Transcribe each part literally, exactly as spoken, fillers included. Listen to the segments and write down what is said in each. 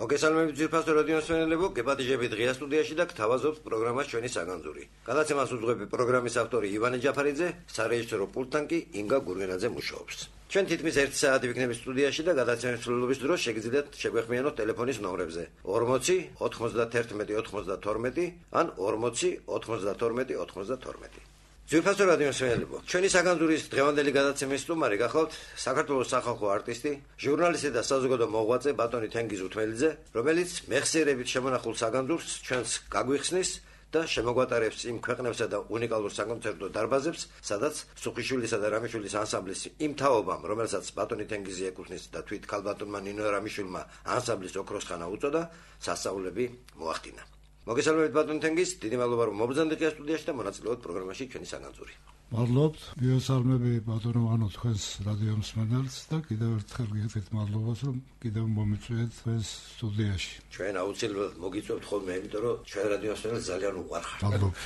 მოგესალმებით ძვირფასო რადიოს მსმენელებო, გეპატიჟები დღეა სტუდიაში და გთავაზობთ პროგრამას ჩვენი საგანძური. გადაცემას უძღვები პროგრამის ავტორი ივანე ჯაფარიძე, სარეჟისორო პულტთან კი ინგა გურგენაძე მუშაობს. ჩვენ თითქმის ერთი საათი ვიქნებით სტუდიაში და გადაცემის მსვლელობის დროს შეგიძლიათ შეგვეხმიანოთ ტელეფონის ნომრებზე ორმოცი ოთხმოცდათერთმეტი ოცმოცდათორმეტი ან ორმოცი ოთხმოცდათორმეტი ოცმოცდათორმეტი. ძვირფასო რადიოს მსმენელებო, ჩვენი საგანძურის დღევანდელი გადაცემის სტუმარი გახლავთ საქართველოს სახალხო არტისტი, ჟურნალისტი და საზოგადო მოღვაწე ბატონი თენგიზ უთმელიძე, რომელიც მეხსიერებით შემონახულ საგანძურს ჩვენს გაგვიხსნის და შემოგვატარებს იმ ქვეყნებსა და უნიკალურ საკონცერტო დარბაზებს, სადაც სუხიშვილისა და რამიშვილის ანსამბლის იმ თაობამ, რომელსაც ბატონი თენგიზი ეკუთვნის და თვით ქალბატონმა ნინო რამიშვილმა ანსამბლის ოქროს ხანა უწოდა, სასწაულები მოახდინა. მოგესალმებით ბატონ თენგიზ, დიდი მადლობა რომ მობრძანდი დღეს სტუდიაში და მონაწილეობთ პროგრამაში ჩვენი საგანძური. მადლობთ, მიესალმები ბატონო ვანო თქვენს რადიო მსმენელს და კიდევ ერთხელ გიხდით მადლობას რომ კიდევ მომიწვიეთ თქვენს სტუდიაში. ჩვენ აუცილებლად მოგიწევთ ხოლმე, იმიტომ რომ ჩვენ რადიო მსმენელს ძალიან უყვარხართ. მადლობა.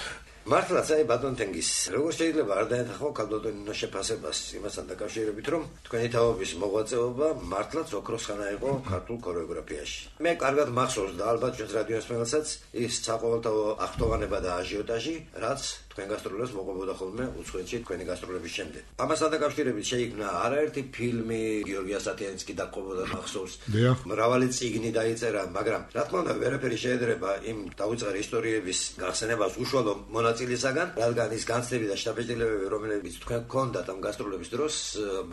მართლაც აი ბატონ თენგიზ, როგორ შეიძლება არ დაეთანხმო ქალბატონ ნინოს შეფასებას იმასთან დაკავშირებით, რომ თქვენი თაობის მოღვაწეობა მართლაც ოქროს ხანა იყო ქართულ ქორეოგრაფიაში. მე კარგად მახსოვს და ალბათ ჩვენს რადიო მსმენელსაც ის საყოველთაო აღტოვანება და აჟიოტაჟი, რაც თქვენ გასტროლებს მოყვებოდა ხოლმე უცხოეთში თქვენი გასტროლების შემდეგ. ამასთან დაკავშირებით შეიქმნა არაერთი ფილმი, გიორგი ასათიანიც კი დაყובოდა მახსოვს. მრავალი წიგნი დაიწერა, მაგრამ რა თქმა უნდა ვერაფერი შეედრება იმ დაუწყარი ისტორიების გახსენებას უშუალო მონაწილისაგან, რადგან ის განცდები და შთაბეჭდილებები, რომლებიც თქვენ გქონდათ ამ გასტროლების დროს,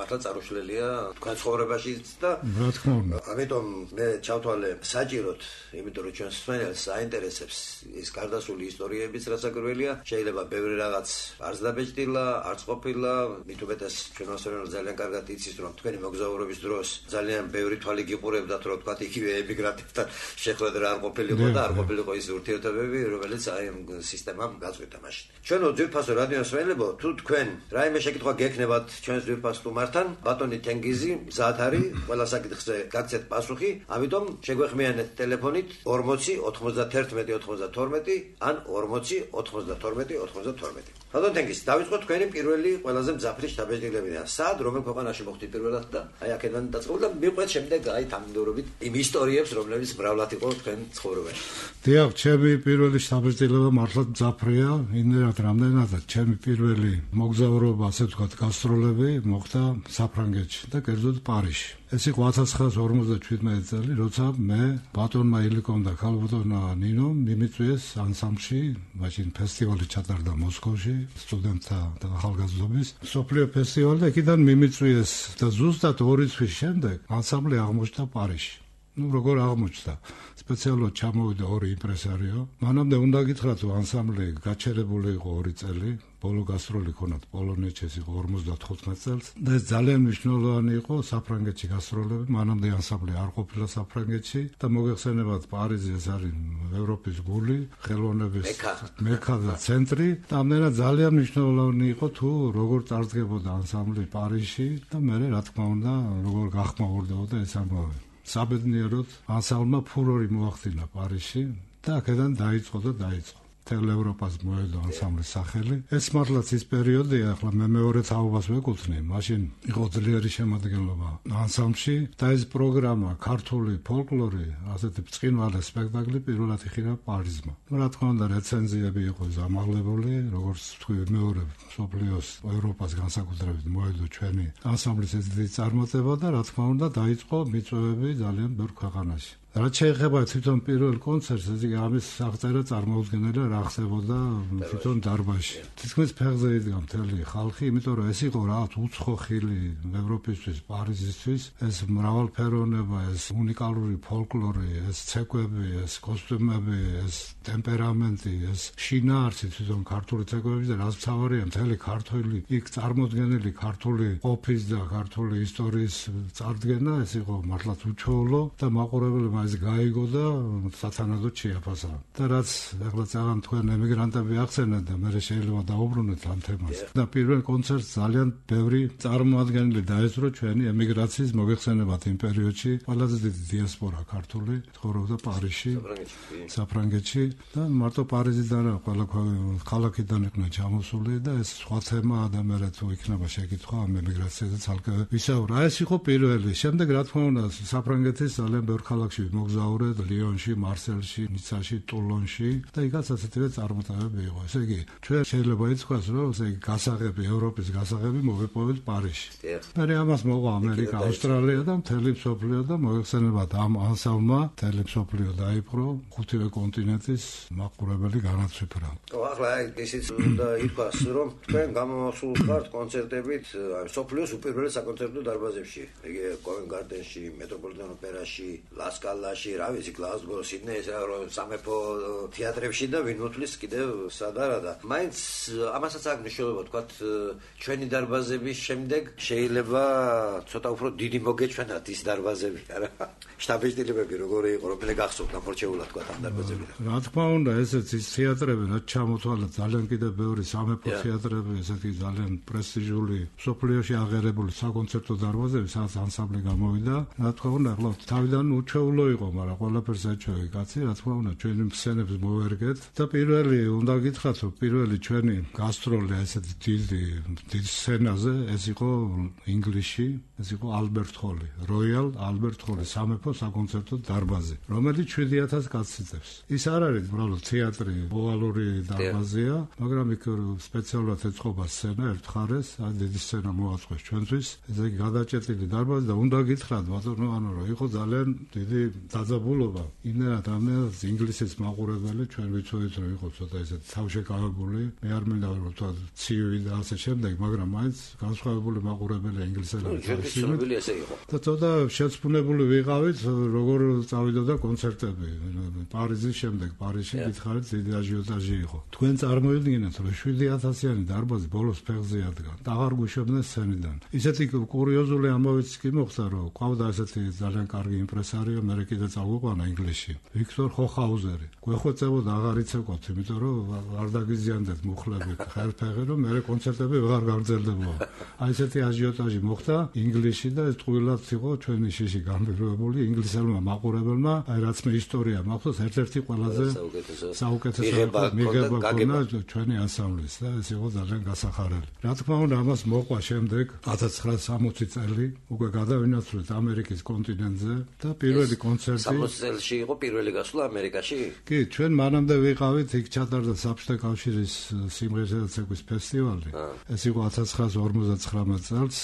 მართლა წარუშლელია თქვენ ცხოვრებაშიც და რა თქმა უნდა. ამიტომ მე ჩავთვალე საჭიროდ, იმიტომ რომ ჩვენს მსმენელს აინტერესებს ის გარდასული ისტორიებიც, რაც აგრველია, შეიძლება ბევრი რაღაც არც დაბეჭდილა, არც ყოფილა, მით უმეტეს ჩვენ მოსწავლეებს ძალიან კარგად იცის, რომ თქვენი მოგზაურობის დროს ძალიან ბევრი თვალი გიყურებდათ, რომ თქვა იგივე ემიგრანტებთან შეხვედრა არ ყოფილიყო და არ ყოფილიყო ის ურთიერთობები, რომელიც აი ამ სისტემამ გაწყვეტა მაშინ. ჩვენო ძვირფასო რადიო მსმენელებო, თუ თქვენ რაიმე შეკითხვა გექნებათ ჩვენს ძვირფას სტუმართან, ბატონი თენგიზი მზად არის ყველა საკითხზე გაგცეთ პასუხი, ამიტომ შეგვეხმიანეთ ტელეფონით ორმოცი ოთხმოცდათერთმეტი ოცმოცდათორმეტი ან ორმოცი ოთხმოცდათორმეტი ოცმოცდათორმეტი. ბატონ თენგიზ, დავიწყოთ თქვენი პირველი ყველაზე მძაფრი შთაბეჭდილებიდან. სად რომელ ქვეყანაში მოხდით პირველად და აი აქედან დაწყებული და მივყვეთ შემდეგ აი თანმიმდევრობით იმ ისტორიებს, რომლებიც მრავლად იყო თქვენ ცხოვრებაში. დიახ, ჩემი პირველი შთაბეჭდილება მართლაც მძაფრია, იმდენად რამდენადაც ჩემი პირველი მოგზაურობა, ასე ვთქვათ, გასტროლები მოხდა საფრანგეთში და კერძოდ პარიზში. ეს იყო ათას ცხრაასი ორმოცდაჩვიდმეტი წელი, როცა მე ბატონმა ილიკომ და ქალბატონმა ნინომ მიმიწვიეს ანსამბლში, მაშინ ფესტივალი ჩატარდა მოსკოვში, სტუდენტთა და ახალგაზრდობის მსოფლიო ფესტივალი და იქიდან მიმიწვიეს და ზუსტად ორი წლის შემდეგ ანსამბლი აღმოჩნდა პარიზში. ну როგორ აღმოჩნდა? სპეციალურად ჩამოვიდა ორი იმპრესარიო. მანამდე უნდა გითხრათ, რომ ანსამბლი გაჩერებული იყო ორი წელი, ბოლო გასტროლი ქონათ პოლონეთში, ეს იყო ორმოცდათხუთმეტ წელს და ეს ძალიან მნიშვნელოვანი იყო საფრანგეთში გასტროლები. მანამდე ანსამბლი არ ყოფილა საფრანგეთში და მოგეხსენებათ, პარიზი ეს არის ევროპის გული, ხელოვნების მექა და ცენტრი და ამდენად ძალიან მნიშვნელოვანი იყო თუ როგორ წარდგებოდა ანსამბლი პარიზში და მე რა თქმა უნდა როგორ გახმაურდებოდა ეს ამბავი. საბედნიეროდ ანსამბლმა ფურორი მოახდინა პარიზში და აქედან დაიწყო და დაიწყო. მთელ ევროპას მოედო ანსამბლის სახელი. ეს მართლაც ის პერიოდია, ახლა მე მეორე თაობას ვეკუთვნი. მაშინ იყო ძლიერი შემადგენლობა ანსამბლში და ეს პროგრამა ქართული ფოლკლორი, ასეთი ბრწყინვალე სპექტაკლი პირველად იხილა პარიზმა. რა თქმა უნდა, რეცენზიები იყო ზამაღლებული, როგორც თქვი, მეორე მსოფლიოს ევროპას განსაკუთრებით მოედო ჩვენი ანსამბლის ეს დიდი წარმატება და რა თქმა უნდა დაიწყო მიწვევები ძალიან ბევრ ქვეყანაში. რაც შეეხება თვითონ პირველ კონცერტს, ეს იგი ამის აღწერა წარმოუდგენელი რა ხდებოდა თვითონ დარბაზში. თითქმის ფეხზე იდგა მთელი ხალხი, იმიტომ რომ ეს იყო რაღაც უცხო ხილი ევროპისთვის, პარიზისთვის, ეს მრავალფეროვნება, ეს უნიკალური ფოლკლორი, ეს ცეკვები, ეს კოსტიუმები, ეს ტემპერამენტი, ეს შინაარსი თვითონ ქართული ცეკვების და რაც მთავარია, მთელი ქართული იქ წარმოდგენილი ქართული ყოფის და ქართული ისტორიის წარდგენა, ეს იყო მართლაც უჩვეულო და მაყურებელმა ეს გაიგო და სათანადოდ შეაფასა. და რაც ახლა ძალიან თქვენ ემიგრანტები ახსენეთ და მე შეიძლება დაუბრუნდეთ ამ თემას. და პირველ კონცერტს ძალიან ბევრი წარმოადგენელი დაესწრო ჩვენი ემიგრაციის მოგეხსენებათ იმ პერიოდში. ყველაზე დიდი დიასპორა ქართული ცხოვრობდა პარიზში, საფრანგეთში და მარტო პარიზიდან ყველა ქალაქიდან იყვნენ ჩამოსული და ეს სხვა თემაა და მე თუ იქნება შეკითხვა ამ ემიგრაციაზე ცალკე ვისაუბრა. ეს იყო პირველი. შემდეგ რა თქმა უნდა საფრანგეთის ძალიან ბევრ ქალაქში მოგზაურეთ ლიონში, მარსელში, ნიცაში, ტულონში და იქაც ასეთივე წარმატებები იყო. ესე იგი, ჩვენ შეიძლება ითქვას, რომ ესე იგი გასაღები, ევროპის გასაღები მოვიპოვეთ პარიზში. მე ამას მოყვა ამერიკა, ავსტრალია და მთელი მსოფლიო და მოიხსენებათ ამ ანსამბლმა მთელი მსოფლიო დაიპყრო, ხუთივე კონტინენტის მაყურებელი განაცვიფრა. ახლა ისიც უნდა ითქვას, რომ თქვენ გამომახსოვრ ხართ კონცერტებით მსოფლიოს უპირველეს საკონცერტო დარბაზებში. იგი კოვენ გარდენში, მეტროპოლიტენ ოპერაში, ლასკალაში, რა ვიცი, გლაზგო, სიდნეის, სამეფო თეატრებში და ვინ მოთვლის კიდევ სადარა და მაინც ამასაც აქვს მნიშვნელობა, თქვათ, ჩვენი დარბაზების შემდეგ შეიძლება ცოტა უფრო დიდი მოგეჩვენათ ის დარბაზები, არა? შტაბ-ბიჭდილებები როგორი იყო, რომელი გახსოვთ გამორჩეულად თქვათ ამ დარბაზებიდან. რა თქმა უნდა, ესეც ის თეატრები, რაც ჩამოთვალეთ, ძალიან კიდევ ბევრი სამეფო თეატრები, ესეთი ძალიან პრესტიჟული, სოფლიოში აღიარებული საკონცერტო დარბაზები, სადაც ანსამბლი გამოვიდა. რა თქმა უნდა, ახლა თავიდან უჩვეულო იყო, მაგრამ ყველაფერს ეჩვევი კაცი, რა თქმა უნდა, ჩვენი მსცენებს მოვერგეთ და პირველი უნდა გითხრათ, რომ პირველი ჩვენი გასტროლი ესეთი დიდი დიდ სცენაზე ეს იყო ინგლისში, ეს იყო ალბერტ ჰოლი, როიალ ალბერტ ჰოლი, სამეფო საკონცერტო დარბაზი, რომელიც შვიდი ათას კაცს იწევს. ის არ არის უბრალოდ თეატრი, ოვალური დარბაზია, მაგრამ იქ სპეციალურად ეწყობა სცენა ერთ მხარეს, აი დიდი სცენა მოაწყოს ჩვენთვის. ესე იგი გადაჭეტილი დარბაზი და უნდა გითხრათ, ბატონო, ანუ რომ იყო ძალიან დიდი დაძაბულობა. იმენად ამას ინგლისის მაყურებელი ჩვენ ვიცოდით, რომ იყო ცოტა ესეთი თავშეკავებული, მე არ მინდა რომ თქვა ცივი და ასე შემდეგ, მაგრამ მაინც განსხვავებული მაყურებელი ინგლისელები ცნობილი ესე იყო. და ცოტა შეცდომებული ვიყავით, როგორ წავიდოდა კონცერტები. პარიზის შემდეგ, პარიზში გითხარით, დიდი აჟიოტაჟი იყო. თქვენ წარმოიდგინეთ, რომ შვიდი ათასიანი დარბაზი ბოლოს ფეხზე ადგა. და აღარ გვიშობდნენ სცენიდან. ისეთი კურიოზული ამბავიც კი მოხდა, რომ ყავდა ესეთი ძალიან კარგი იმპრესარიო, მე კიდე წავიყვანა ინგლისში. ვიქტორ ხოხაუზერი. გვეხვეწებოდა აღარ იცეკვათ, იმიტომ რომ არ დაგიზიანდეთ მუხლები, ხელფეხი, რომ მე კონცერტები ვეღარ გაგრძელდებოდა. აი ესეთი აჟიოტაჟი მოხდა ინგლისში და ეს ტყუილად იყო ჩვენი შიში გამბირებული ინგლისელმა მაყურებელმა, აი რაც მე ისტორია მაქვს, ერთ-ერთი ყველაზე საუკეთესო მიღება ქონა ჩვენი ანსამბლის და ეს იყო ძალიან გასახარელი. რა თქმა უნდა, ამას მოყვა შემდეგ ათას ცხრაასი წელი, უკვე გადავინაცვლეთ ამერიკის კონტინენტზე და პირველი კონცერტი სამოცი წელში იყო პირველი გასვლა ამერიკაში? კი, ჩვენ მანამდე ვიყავით, იქ ჩატარდა საბჭოთა კავშირის სიმღერისა და ცეკვის ფესტივალი. ეს იყო ათას ცხრაასი ორმოცდათხრამეტ წელს,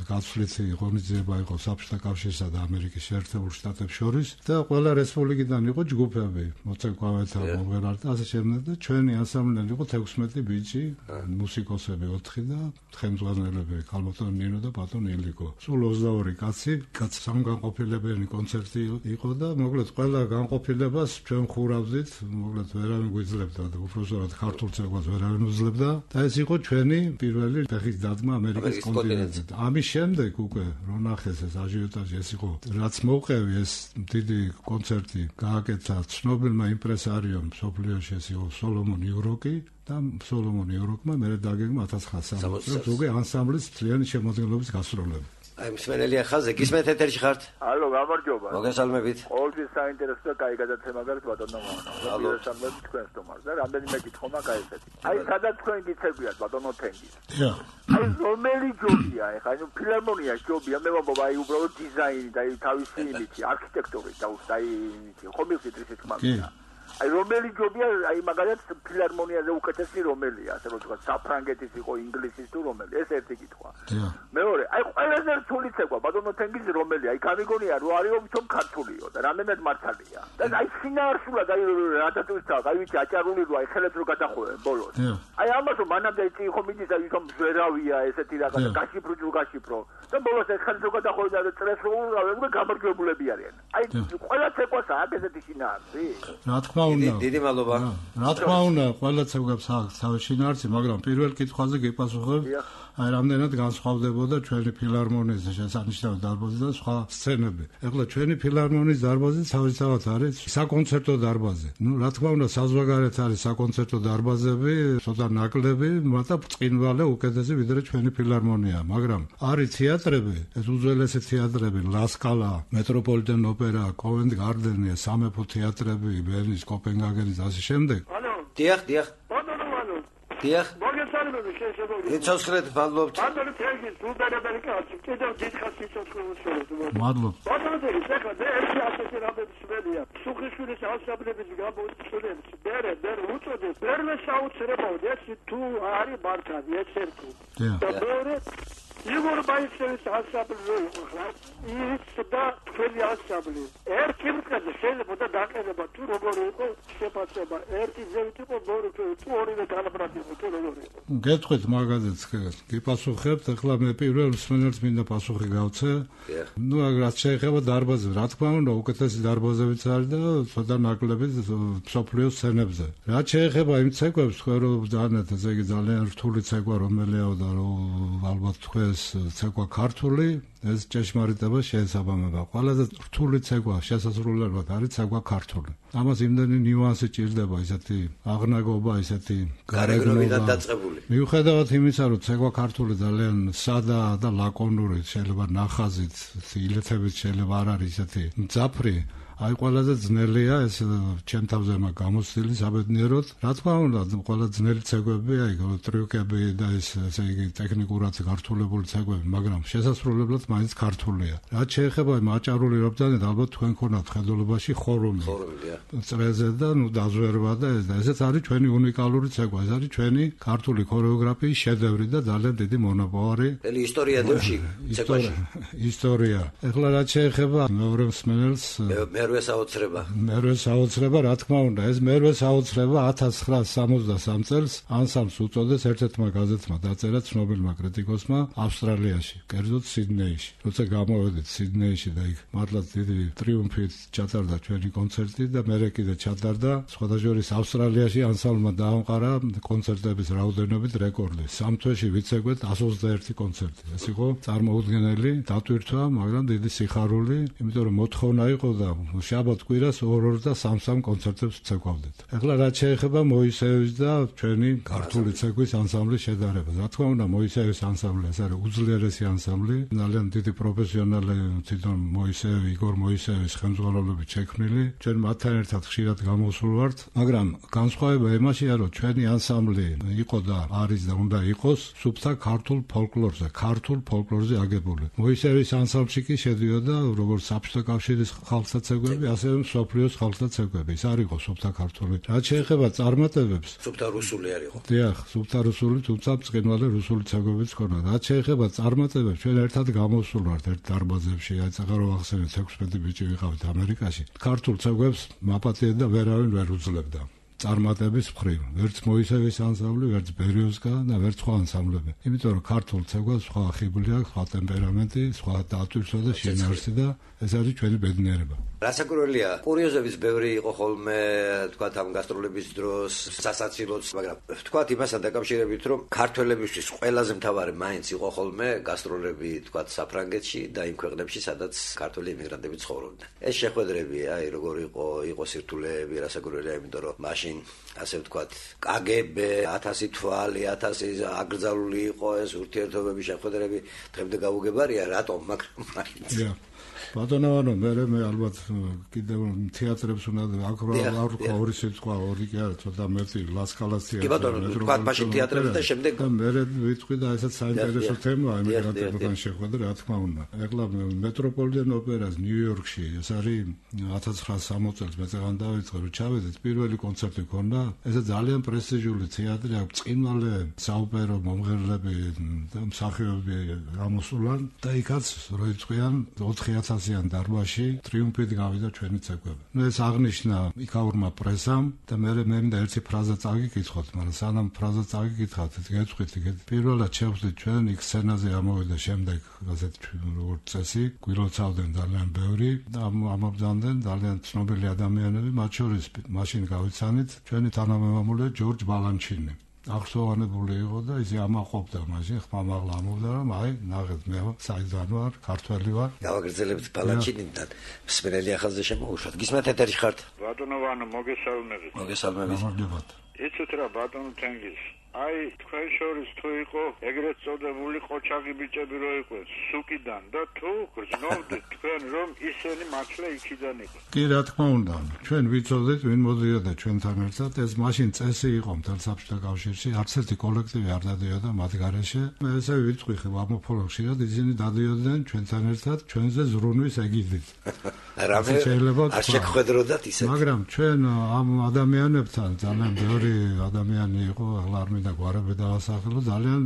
გაცვლითი ღონისძიება იყო საბჭოთა კავშირსა და ამერიკის შეერთებულ შტატებს შორის და ყველა რესპუბლიკიდან იყო ჯგუფები, მოცეკვავეთა, მომღერალთა და ასე შემდეგ და ჩვენი ანსამბლიდან იყო თექვსმეტი ბიჭი, მუსიკოსები ოთხი და თხემძღვანელები, ქალბატონი ნინო და ბატონი ილიკო. სულ ოცდაორი კაცი, კაც სამგანყოფილებიანი კონცერტი იყო და მოკლედ ყველა განყოფილებას ჩვენ ხურავდით, მოკლედ ვერავინ გვიძლებდა და უბრალოდ ქართულ ცეკვას ვერავინ უძლებდა და ეს იყო ჩვენი პირველი ფეხის დადგმა ამერიკის კონტინენტზე. ამის შემდეგ უკვე რო ნახეს ეს აჟიოტაჟი, ეს იყო რაც მოუყევი ეს დიდი კონცერტი გააკეთა ცნობილმა იმპრესარიომ მსოფლიოში, ეს იყო სოლომონ იუროკი და სოლომონ იუროკმა მერე დაგეგმა ათას ცხრაასი წელს უკვე ანსამბლის მთლიანი შემოქმედების გასტროლები. აი მსმენელია ხაზე, გისმენთ ეთერში ხართ? ალო, გამარჯობა. მოგესალმებით. ყოველთვის საინტერესო და კაი გადაცემა გაქვს ბატონო მანო. მოგესალმებით თქვენს თომას და რამდენიმე კითხვა მაქვს აი ესეთი. აი სადაც თქვენ გიცეკვიათ ბატონო თენგის. დიახ. აი რომელი ჯობია ეხა, ანუ ფილარმონია ჯობია, მე მომბობა აი უბრალოდ დიზაინი და აი თავისი იმითი, არქიტექტურით და აი იმითი, ხომ მივხვდით ისეთ მაგალითად. აი რომელი ჯობია, აი მაგალითად ფილარმონიაზე უკეთესი რომელია, ასე რომ თქვა საფრანგეთის იყო, ინგლისის თუ რომელი, ეს ერთი კითხვა. მეორე, აი ყველაზე რთული ცეკვა ბატონო თენგის რომელია, აი გამიგონია რომ არისო თვითონ ქართულიო და რამდენად მართალია. და აი შინაარსულად აი რატატუცა, აი ვიცი აჭარული რო აი ხელებს რო გადახოვენ ბოლოს. აი ამას რომ მანამდე იცი ხო მიდის აი თვითონ ზვერავია ესეთი რაღაც გაშიფრო ჯუ გაშიფრო. და ბოლოს ეს ხელს რო გადახოვენ და წრეს რო ურავენ, გამარჯვებულები არიან. აი ყველა ცეკვას აქვს ესეთი შინაარსი. რა თქმა უნდა. დიდი მადლობა. რა თქმა უნდა, ყველა ცეკვებს აქვს თავისი შინაარსი, მაგრამ პირველ კითხვაზე გიპასუხებ, აი რამდენად განსხვავდებოდა ჩვენი ფილარმონიის შესანიშნავი დარბაზი და სხვა სცენები. ეხლა ჩვენი ფილარმონიის დარბაზი თავისთავად არის საკონცერტო დარბაზი. ნუ რა თქმა უნდა, საზღვარგარეთ არის საკონცერტო დარბაზები, ცოტა ნაკლები, მაგრამ ბრწყინვალე უკეთესი ვიდრე ჩვენი ფილარმონია, მაგრამ არის თეატრები, ეს უძველესი თეატრები, ლასკალა, მეტროპოლიტენ ოპერა, კოვენტ გარდენი, სამეფო თეატრები, ბერნის, კოპენჰაგენის და ასე შემდეგ. ანუ დიახ, დიახ. ბატონო ანუ დიახ. მოგესალმებით. შეესაბამება. იცოცხლეთ, მადლობთ. ბატონო თენგის უბრალოდ კაცი, კიდევ დიდხანს იცოცხლებს შეიძლება. მადლობთ. ბატონო ეხლა მე ერთი ასეთი რამების ველია. სუხიშვილის ასაბლების გამოიწვევს. ბერე, ბერე უწოდებს. ბერე საოცრებოდ ეს თუ არის მართალი ეს ერთი. და მეორე იგორ ბაიჩევის ასაბლი ხარ. ის და თქვენი ასაბლი. ერთი მკაცი შეიძლება და დაყენება თუ როგორი იყო შეფასება. ერთი ზევით იყო მეორე თუ ორივე დალაბრად იყო თუ როგორი იყო. გეტყვით მაგაზეც გიპასუხებთ, ახლა მე პირველ მსმენელს მინდა პასუხი გავცე. ნუ რაც შეეხება დარბაზებს, რა თქმა უნდა, უკეთესი დარბაზებიც არის და ცოტა ნაკლები მსოფლიოს სცენებზე. რაც შეეხება იმ ცეკვებს, თქვენ რომ დანეთ, ესე იგი ძალიან რთული ცეკვა რომელია და რომ ალბათ თქვენს ცეკვა ქართული ეს ჭეშმარიტება შეესაბამება. ყველაზე რთული ცეკვა შესასრულებლად არის ცეკვა ქართული. ამას იმდენი ნიუანსი ჭირდება, ისეთი აღნაგობა, ისეთი გარეგნობიდან დაწყებული. მიუხედავად იმისა, რომ ცეკვა ქართული ძალიან სადაა და ლაკონური, შეიძლება ნახაზით, ილეთებით შეიძლება არ არის ისეთი მძაფრი. აი ყველაზე ძნელია ეს ჩემ თავზე მაგ გამოცდილი საბედნიეროდ. რა თქმა უნდა, ყველა ძნელი ცეკვები, აი ტრიუკები და ეს ესე იგი ტექნიკურად გართულებული ცეკვები, მაგრამ შესასრულებლად მაინც ქართულია. რაც შეეხება მაჭარული რობდანეთ, ალბათ თქვენ ქონათ ხედულობაში ხორუმი. ხორუმია. წრეზე და ნუ დაზვერვა და ეს და ესეც არის ჩვენი უნიკალური ცეკვა. ეს არის ჩვენი ქართული ქორეოგრაფიის შედევრი და ძალიან დიდი მონოპოვარი. ელი ისტორია დევში ცეკვაში. ისტორია. ეხლა რაც შეეხება მეორე მსმენელს მერვე საოცრება. მერვე საოცრება, რა თქმა უნდა, ეს მერვე საოცრება ათას ცხრაასი სამოცდასამ წელს ანსამბლს უწოდეს ერთ-ერთმა გაზეთმა დაწერა ცნობილმა კრიტიკოსმა ავსტრალიაში, კერძოდ სიდნეიში. როცა გამოვედით სიდნეიში და იქ მართლაც დიდი ტრიუმფით ჩატარდა ჩვენი კონცერტი და მერე კიდე ჩატარდა სხვადასხვა ავსტრალიაში ანსამბლმა დაამყარა კონცერტების რაოდენობით რეკორდი. სამ თვეში ვიცეკვეთ εκατს ოცდაერთი კონცერტი. ეს იყო წარმოუდგენელი დატვირთვა, მაგრამ დიდი სიხარული, იმიტომ რომ მოთხოვნა იყო და შაბათ კვირას ორ-ორ და სამ-სამ კონცერტებს ვცეკვავდით. ეხლა რაც შეეხება მოისეევის და ჩვენი ქართული ცეკვის ანსამბლის შედარებას. რა თქმა უნდა, მოისეევის ანსამბლი ეს არის უძლიერესი ანსამბლი, ძალიან დიდი პროფესიონალი თვითონ მოისეევი, იგორ მოისეევის ხელმძღვანელობით შექმნილი. ჩვენ მათთან ერთად ხშირად გამოსულ ვართ, მაგრამ განსხვავება იმაშია, რომ ჩვენი ანსამბლი იყო და არის და უნდა იყოს სუფთა ქართულ ფოლკლორზე, ქართულ ფოლკლორზე აგებული. მოისეევის ანსამბლში კი შედიოდა როგორც საბჭოთა კავშირის ხალხთა ცეკვები, ასევე მსოფლიოს ხალხთა ცეკვები. ის არ იყო სუფთა ქართული. რაც შეეხება წარმატებებს, სუფთა რუსული არ იყო. დიახ, სუფთა რუსული, თუმცა ბრწყინვალე რუსული ცეკვებიც ქონდა. რაც შეეხება წარმატებებს, ჩვენ ერთად გამოვსულ ვართ ერთ დარბაზებში, აი წაღარო ახსენეთ ექვსმეტი ბიჭი ვიყავით ამერიკაში. ქართულ ცეკვებს მაპატიეთ და ვერავინ ვერ უძლებდა. წარმატების მხრივ, ვერც მოისეევის ანსამბლი, ვერც ბერიოსკა და ვერც სხვა ანსამბლები. იმიტომ რომ ქართულ ცეკვას სხვა ხიბლი აქვს, სხვა ტემპერამენტი, სხვა დატვირთვა და შინაარსი და ეს არის ჩვენი ბედნიერება. რასაკურველია, კურიოზების ბევრი იყო ხოლმე, თქვათ ამ გასტროლების დროს, სასაცილოც, მაგრამ თქვათ იმასთან დაკავშირებით, რომ ქართველებისთვის ყველაზე მთავარი მაინც იყო ხოლმე გასტროლები, თქვათ საფრანგეთში და იმ ქვეყნებში, სადაც ქართველი იმიგრანტები ცხოვრობდნენ. ეს შეხვედრები, აი როგორ იყო, იყო სირთულეები, რასაკურველია, იმიტომ რომ მაშინ ასე ვთქვათ, კაგებე, ათასი თვალი, ათასი აკრძალული იყო ეს ურთიერთობების შეხვედრები, დღემდე გაუგებარია, რატომ, მაგრამ მაინც. ბატონო, მე მე ალბათ კიდევ თეატრებს უნდა აქ ორი სიტყვა, ორი კი არა, ცოტა მეტი ლასკალას თეატრი. კი ბატონო, თქვა მაშინ თეატრებს და შემდეგ და მე ვიტყვი და ესეც საინტერესო თემაა ემიგრანტებთან შეხვედრა, რა თქმა უნდა. ეხლა მეტროპოლიტენ ოპერას ნიუ-იორკში, ეს არის ათას ცხრაასი სამოცდაოთხ წელს მე წეგან დავიწყე, რომ ჩავედით, პირველი კონცერტი ქონდა. ესე ძალიან პრესტიჟული თეატრი, აქვს ბრწყინვალე საოპერო მომღერლები და მსახიობები გამოსულან და იქაც როიწყვიან ოთხი ათასიან დარბაზში ტრიუმფით გავიდა ჩვენი ცეკვები. ნუ ეს აღნიშნა იქაურმა პრესამ და მე მე მინდა ერთი ფრაზა წაგიკითხოთ, მაგრამ სანამ ფრაზა წაგიკითხავთ, გეტყვით, პირველად შევხვდით ჩვენ იქ სცენაზე ამოვიდა შემდეგ ასეთი როგორც წესი, გვილოცავდნენ ძალიან ბევრი და ამობძანდნენ ძალიან ცნობილი ადამიანები, მათ შორის მაშინ გავიცანით ჩვენი თანამემამულე ჯორჯ ბალანჩინი. აღსოვანებული იყო და ისე ამაყობდა მაშინ ხმამაღლა ამობდა რომ აი ნახეთ მე საიდან ვარ ქართველი ვარ გავაგრძელებთ ბალანჩინიდან მსმენელი ახალზე შემოუშვათ გისმენთ ეთერში ხართ ბატონო ვანო მოგესალმებით მოგესალმებით გამარჯობათ იცით რა ბატონო თენგის აი თქვენ შორის თუ იყო ეგრეთ წოდებული ყოჩაღი ბიჭები რო იყვნენ სუკიდან და თუ გრძნობდით თქვენ რომ ისინი მართლა იქიდან იყო. კი რა თქმა უნდა, ჩვენ ვიცოდით ვინ მოდიოდა ჩვენთან ერთად, ეს მაშინ წესი იყო მთელ საბჭოთა კავშირში, არც ერთი კოლექტივი არ დადიოდა მათ გარეშე. მე ესე ვიტყვი ამოფოლო ხშირად ისინი დადიოდნენ ჩვენთან ერთად ჩვენზე ზრუნვის ეგიდით. რამე არ შეგხვედროდათ ისეთ. მაგრამ ჩვენ ამ ადამიანებთან ძალიან ბევრი ადამიანი იყო, ახლა არ მინდა გვარები დავასახელო, ძალიან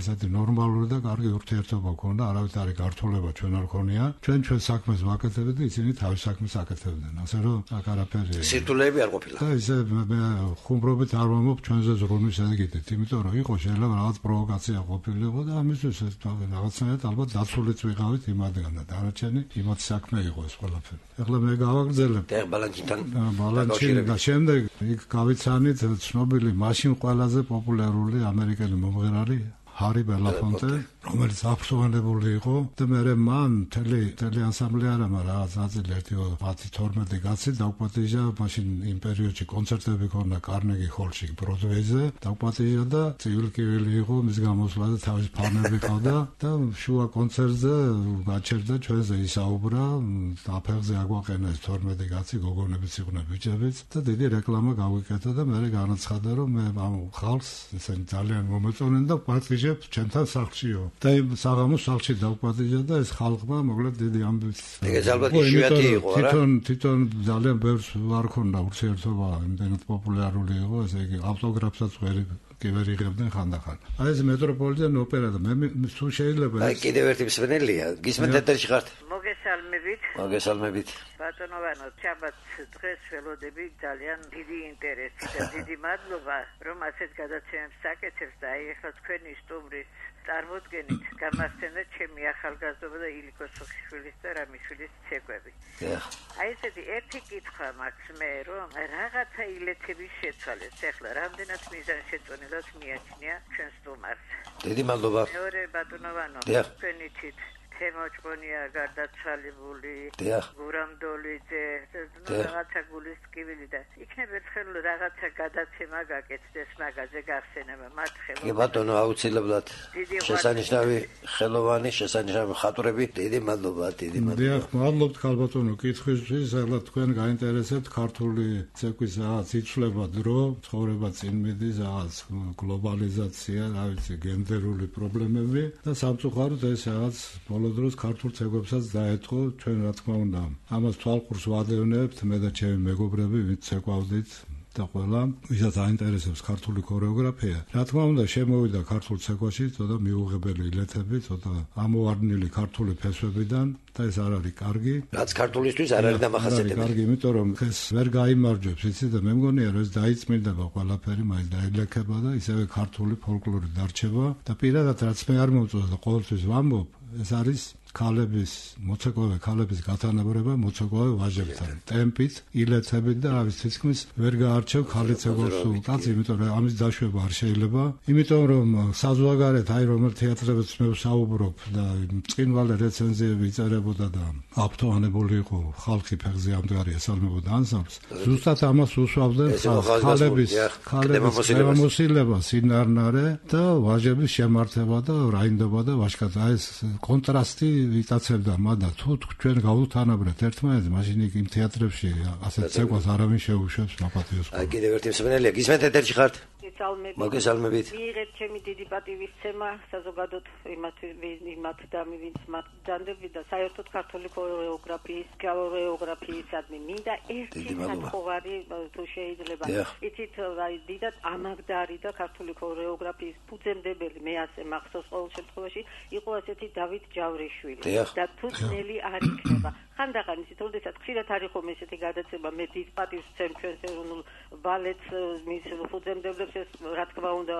ესეთი ნორმალური და კარგი ურთიერთობა ჰქონდა, არავით არ გართულება ჩვენ არ ქონია. ჩვენ ჩვენ საქმეს ვაკეთებდით და ისინი თავის საქმეს აკეთებდნენ. ასე რომ აქ არაფერი. სირთულეები არ ყოფილა. და ისე მე ხუმრობით არ ვამბობ ჩვენზე ზრუნვის ეგიდით, იმიტომ რომ იყო შეიძლება რაღაც პროვოკაცია ყოფილიყო და ამისთვის რაღაცნაირად ალბათ დაცულიც ვიყავით იმადგან და დანარჩენი იმათ საქმე იყო ეს ყველაფერი. ეხლა მე გავაგრძელებ. და ბალანჩინთან ბალანჩინი და შემდეგ იქ გავიცანით ცნობილი მაშინ ყველაზე პოპულარული ამერიკელი მომღერალი ჰარი ბელაფონტე, რომელიც აფრთხილებული იყო და მე მან თელი თელი ანსამბლი არა, მაგრამ რაღაც ნაწილი ერთი ათი თორმეტი კაცი დაუპატიჟა მაშინ იმ პერიოდში კონცერტები ქონდა კარნეგი ჰოლში ბროდვეიზე, დაუპატიჟა და ცივილკივილი იყო მის გამოსვლა და თავის ფანები ყავდა და შუა კონცერტზე გაჩერდა ჩვენზე ისაუბრა, აფერზე აგვაყენა ეს თორმეტი კაცი, გოგონებიც იყვნენ ბიჭებიც და დიდი რეკლამა გავიკეთა და მე განაცხადა რომ მე ამ ხალხს ესენი ძალიან მომეწონენ და პატიჟ ჩვენთან სახლშიო და იმ საღამოს სახლში დავპატიჟა და ეს ხალხმა მოკლედ დიდი ამბიცია. ეგ ალბათ იშვიათი იყო რა. თვითონ თვითონ ძალიან ბევრს არ ქონდა ურთიერთობა, იმდენად პოპულარული იყო, ესე იგი ავტოგრაფსაც ვერ კი ვერ იღებდნენ ხანდახან. აი ეს მეტროპოლიტენ ოპერა და მე თუ შეიძლება აი კიდევ ერთი მსმენელია, გისმენთ ეთერში ხართ? მოგესალმებით. მოგესალმებით. ბატონო ვანო, ჩაბათ დღეს ველოდები ძალიან დიდი ინტერესი და დიდი მადლობა, რომ ასეთ გადაცემებს საკეთებს და აი ახლა თქვენი სტუმრის წარმოდგენით გამახსენეთ ჩემი ახალგაზრდობა და ილიკო სუხიშვილის და რამიშვილის ცეკვები. აი ესეთი ერთი კითხვა მაქვს მე, რომ რაღაცა ილეთების შეცვალეს. ახლა რამდენად მიზანშეწონილად მიაჩნია ჩვენ სტუმარს. დიდი მადლობა. მეორე ბატონო ვანო, თქვენი თვით თემოჭკონია გარდაცვალებული, გურამდოლიძე, რაღაცა გულის ტკივილი და იქნებ ერთხელ რაღაცა გადაცემა გაკეთდეს მაგაზე გახსენება მათ ხელოვნებას. კი ბატონო, აუცილებლად შესანიშნავი ხელოვანი, შესანიშნავი ხატვრები, დიდი მადლობა, დიდი მადლობა. დიახ, მადლობთ ხალბატონო კითხვისთვის, ახლა თქვენ გაინტერესებთ ქართული ცეკვის რაღაც იცვლება დრო, ცხოვრება წინ მიდის, რაღაც გლობალიზაცია, რა ვიცი, გენდერული პრობლემები და სამწუხაროდ ეს რაღაც დროს ქართულ ცეკვებსაც დაეწყო, ჩვენ რა თქმა უნდა ამას თვალყურს ვადევნებთ, მე და ჩემი მეგობრები ვინც ცეკვავდით და ყველა ვისაც აინტერესებს ქართული ქორეოგრაფია. რა თქმა უნდა შემოვიდა ქართულ ცეკვაში ცოტა მიუღებელი ილეთები, ცოტა ამოვარდნილი ქართული ფესვებიდან და ეს არ არის კარგი. რაც ქართულისთვის არ არის დამახასიათებელი. კარგი, იმიტომ რომ ეს ვერ გაიმარჯვებს, იცი და მე მგონია რომ ეს დაიწმინდება ყველაფერი, მაინც დაილექება და ისევე ქართული ფოლკლორი დარჩება და პირადად რაც მე არ მომწონს და ყოველთვის ვამბობ, ეს არის ქალების, მოცეკვავე ქალების გათანაბრება მოცეკვავე ვაჟებთან. ტემპით, ილეთებით და ავის თითქმის ვერ გაარჩევ ქალი ცეკვავს სულ კაცი, იმიტომ რომ ამის დაშვება არ შეიძლება. იმიტომ რომ საზღვარგარეთ აი რომელ თეატრებიც მე ვსაუბრობ და წინვალე რეცენზიები იწერებოდა და აფრთხილებული იყო ხალხი ფეხზე ამდგარი ესალმებოდა ანსამბლს. ზუსტად ამას უსვავდნენ ქალების ქალების გამოსილება, სინარნარე და ვაჟების შემართება და რაინდობა და ვაჟკაცი. აი ეს კონტრასტი იტაცებდა მადა თუ ჩვენ გავუთანაბრეთ ერთმანეთს, მაშინ იმ თეატრებში ასეთ ცეკვას არავინ შეუშვებს მაპატიოს. აი კიდევ ერთი მსმენელია, გისმენთ ეთერში ხართ? მოგესალმებით. მიიღეთ ჩემი დიდი პატივისცემა საზოგადოდ იმათ იმათ და ვინც მათ ჯანდები და საერთოდ ქართული ქორეოგრაფიის, ქორეოგრაფიისადმი მინდა ერთი სათხოვარი თუ შეიძლება. იცით აი დიდად ამაგდარი და ქართული ქორეოგრაფიის ფუძემდებელი მე ასე მახსოვს ყოველ შემთხვევაში იყო ასეთი დავით ჯავრიშვილი და თუ ძნელი არ იქნება. ხანდახან ისეთ როდესაც ხშირად არის ხომ ესეთი გადაცემა მე დიდ პატივს ვცემ ჩვენს ეროვნულ ბალეტს მის ფუძემდებლებს ეს რა თქმა უნდა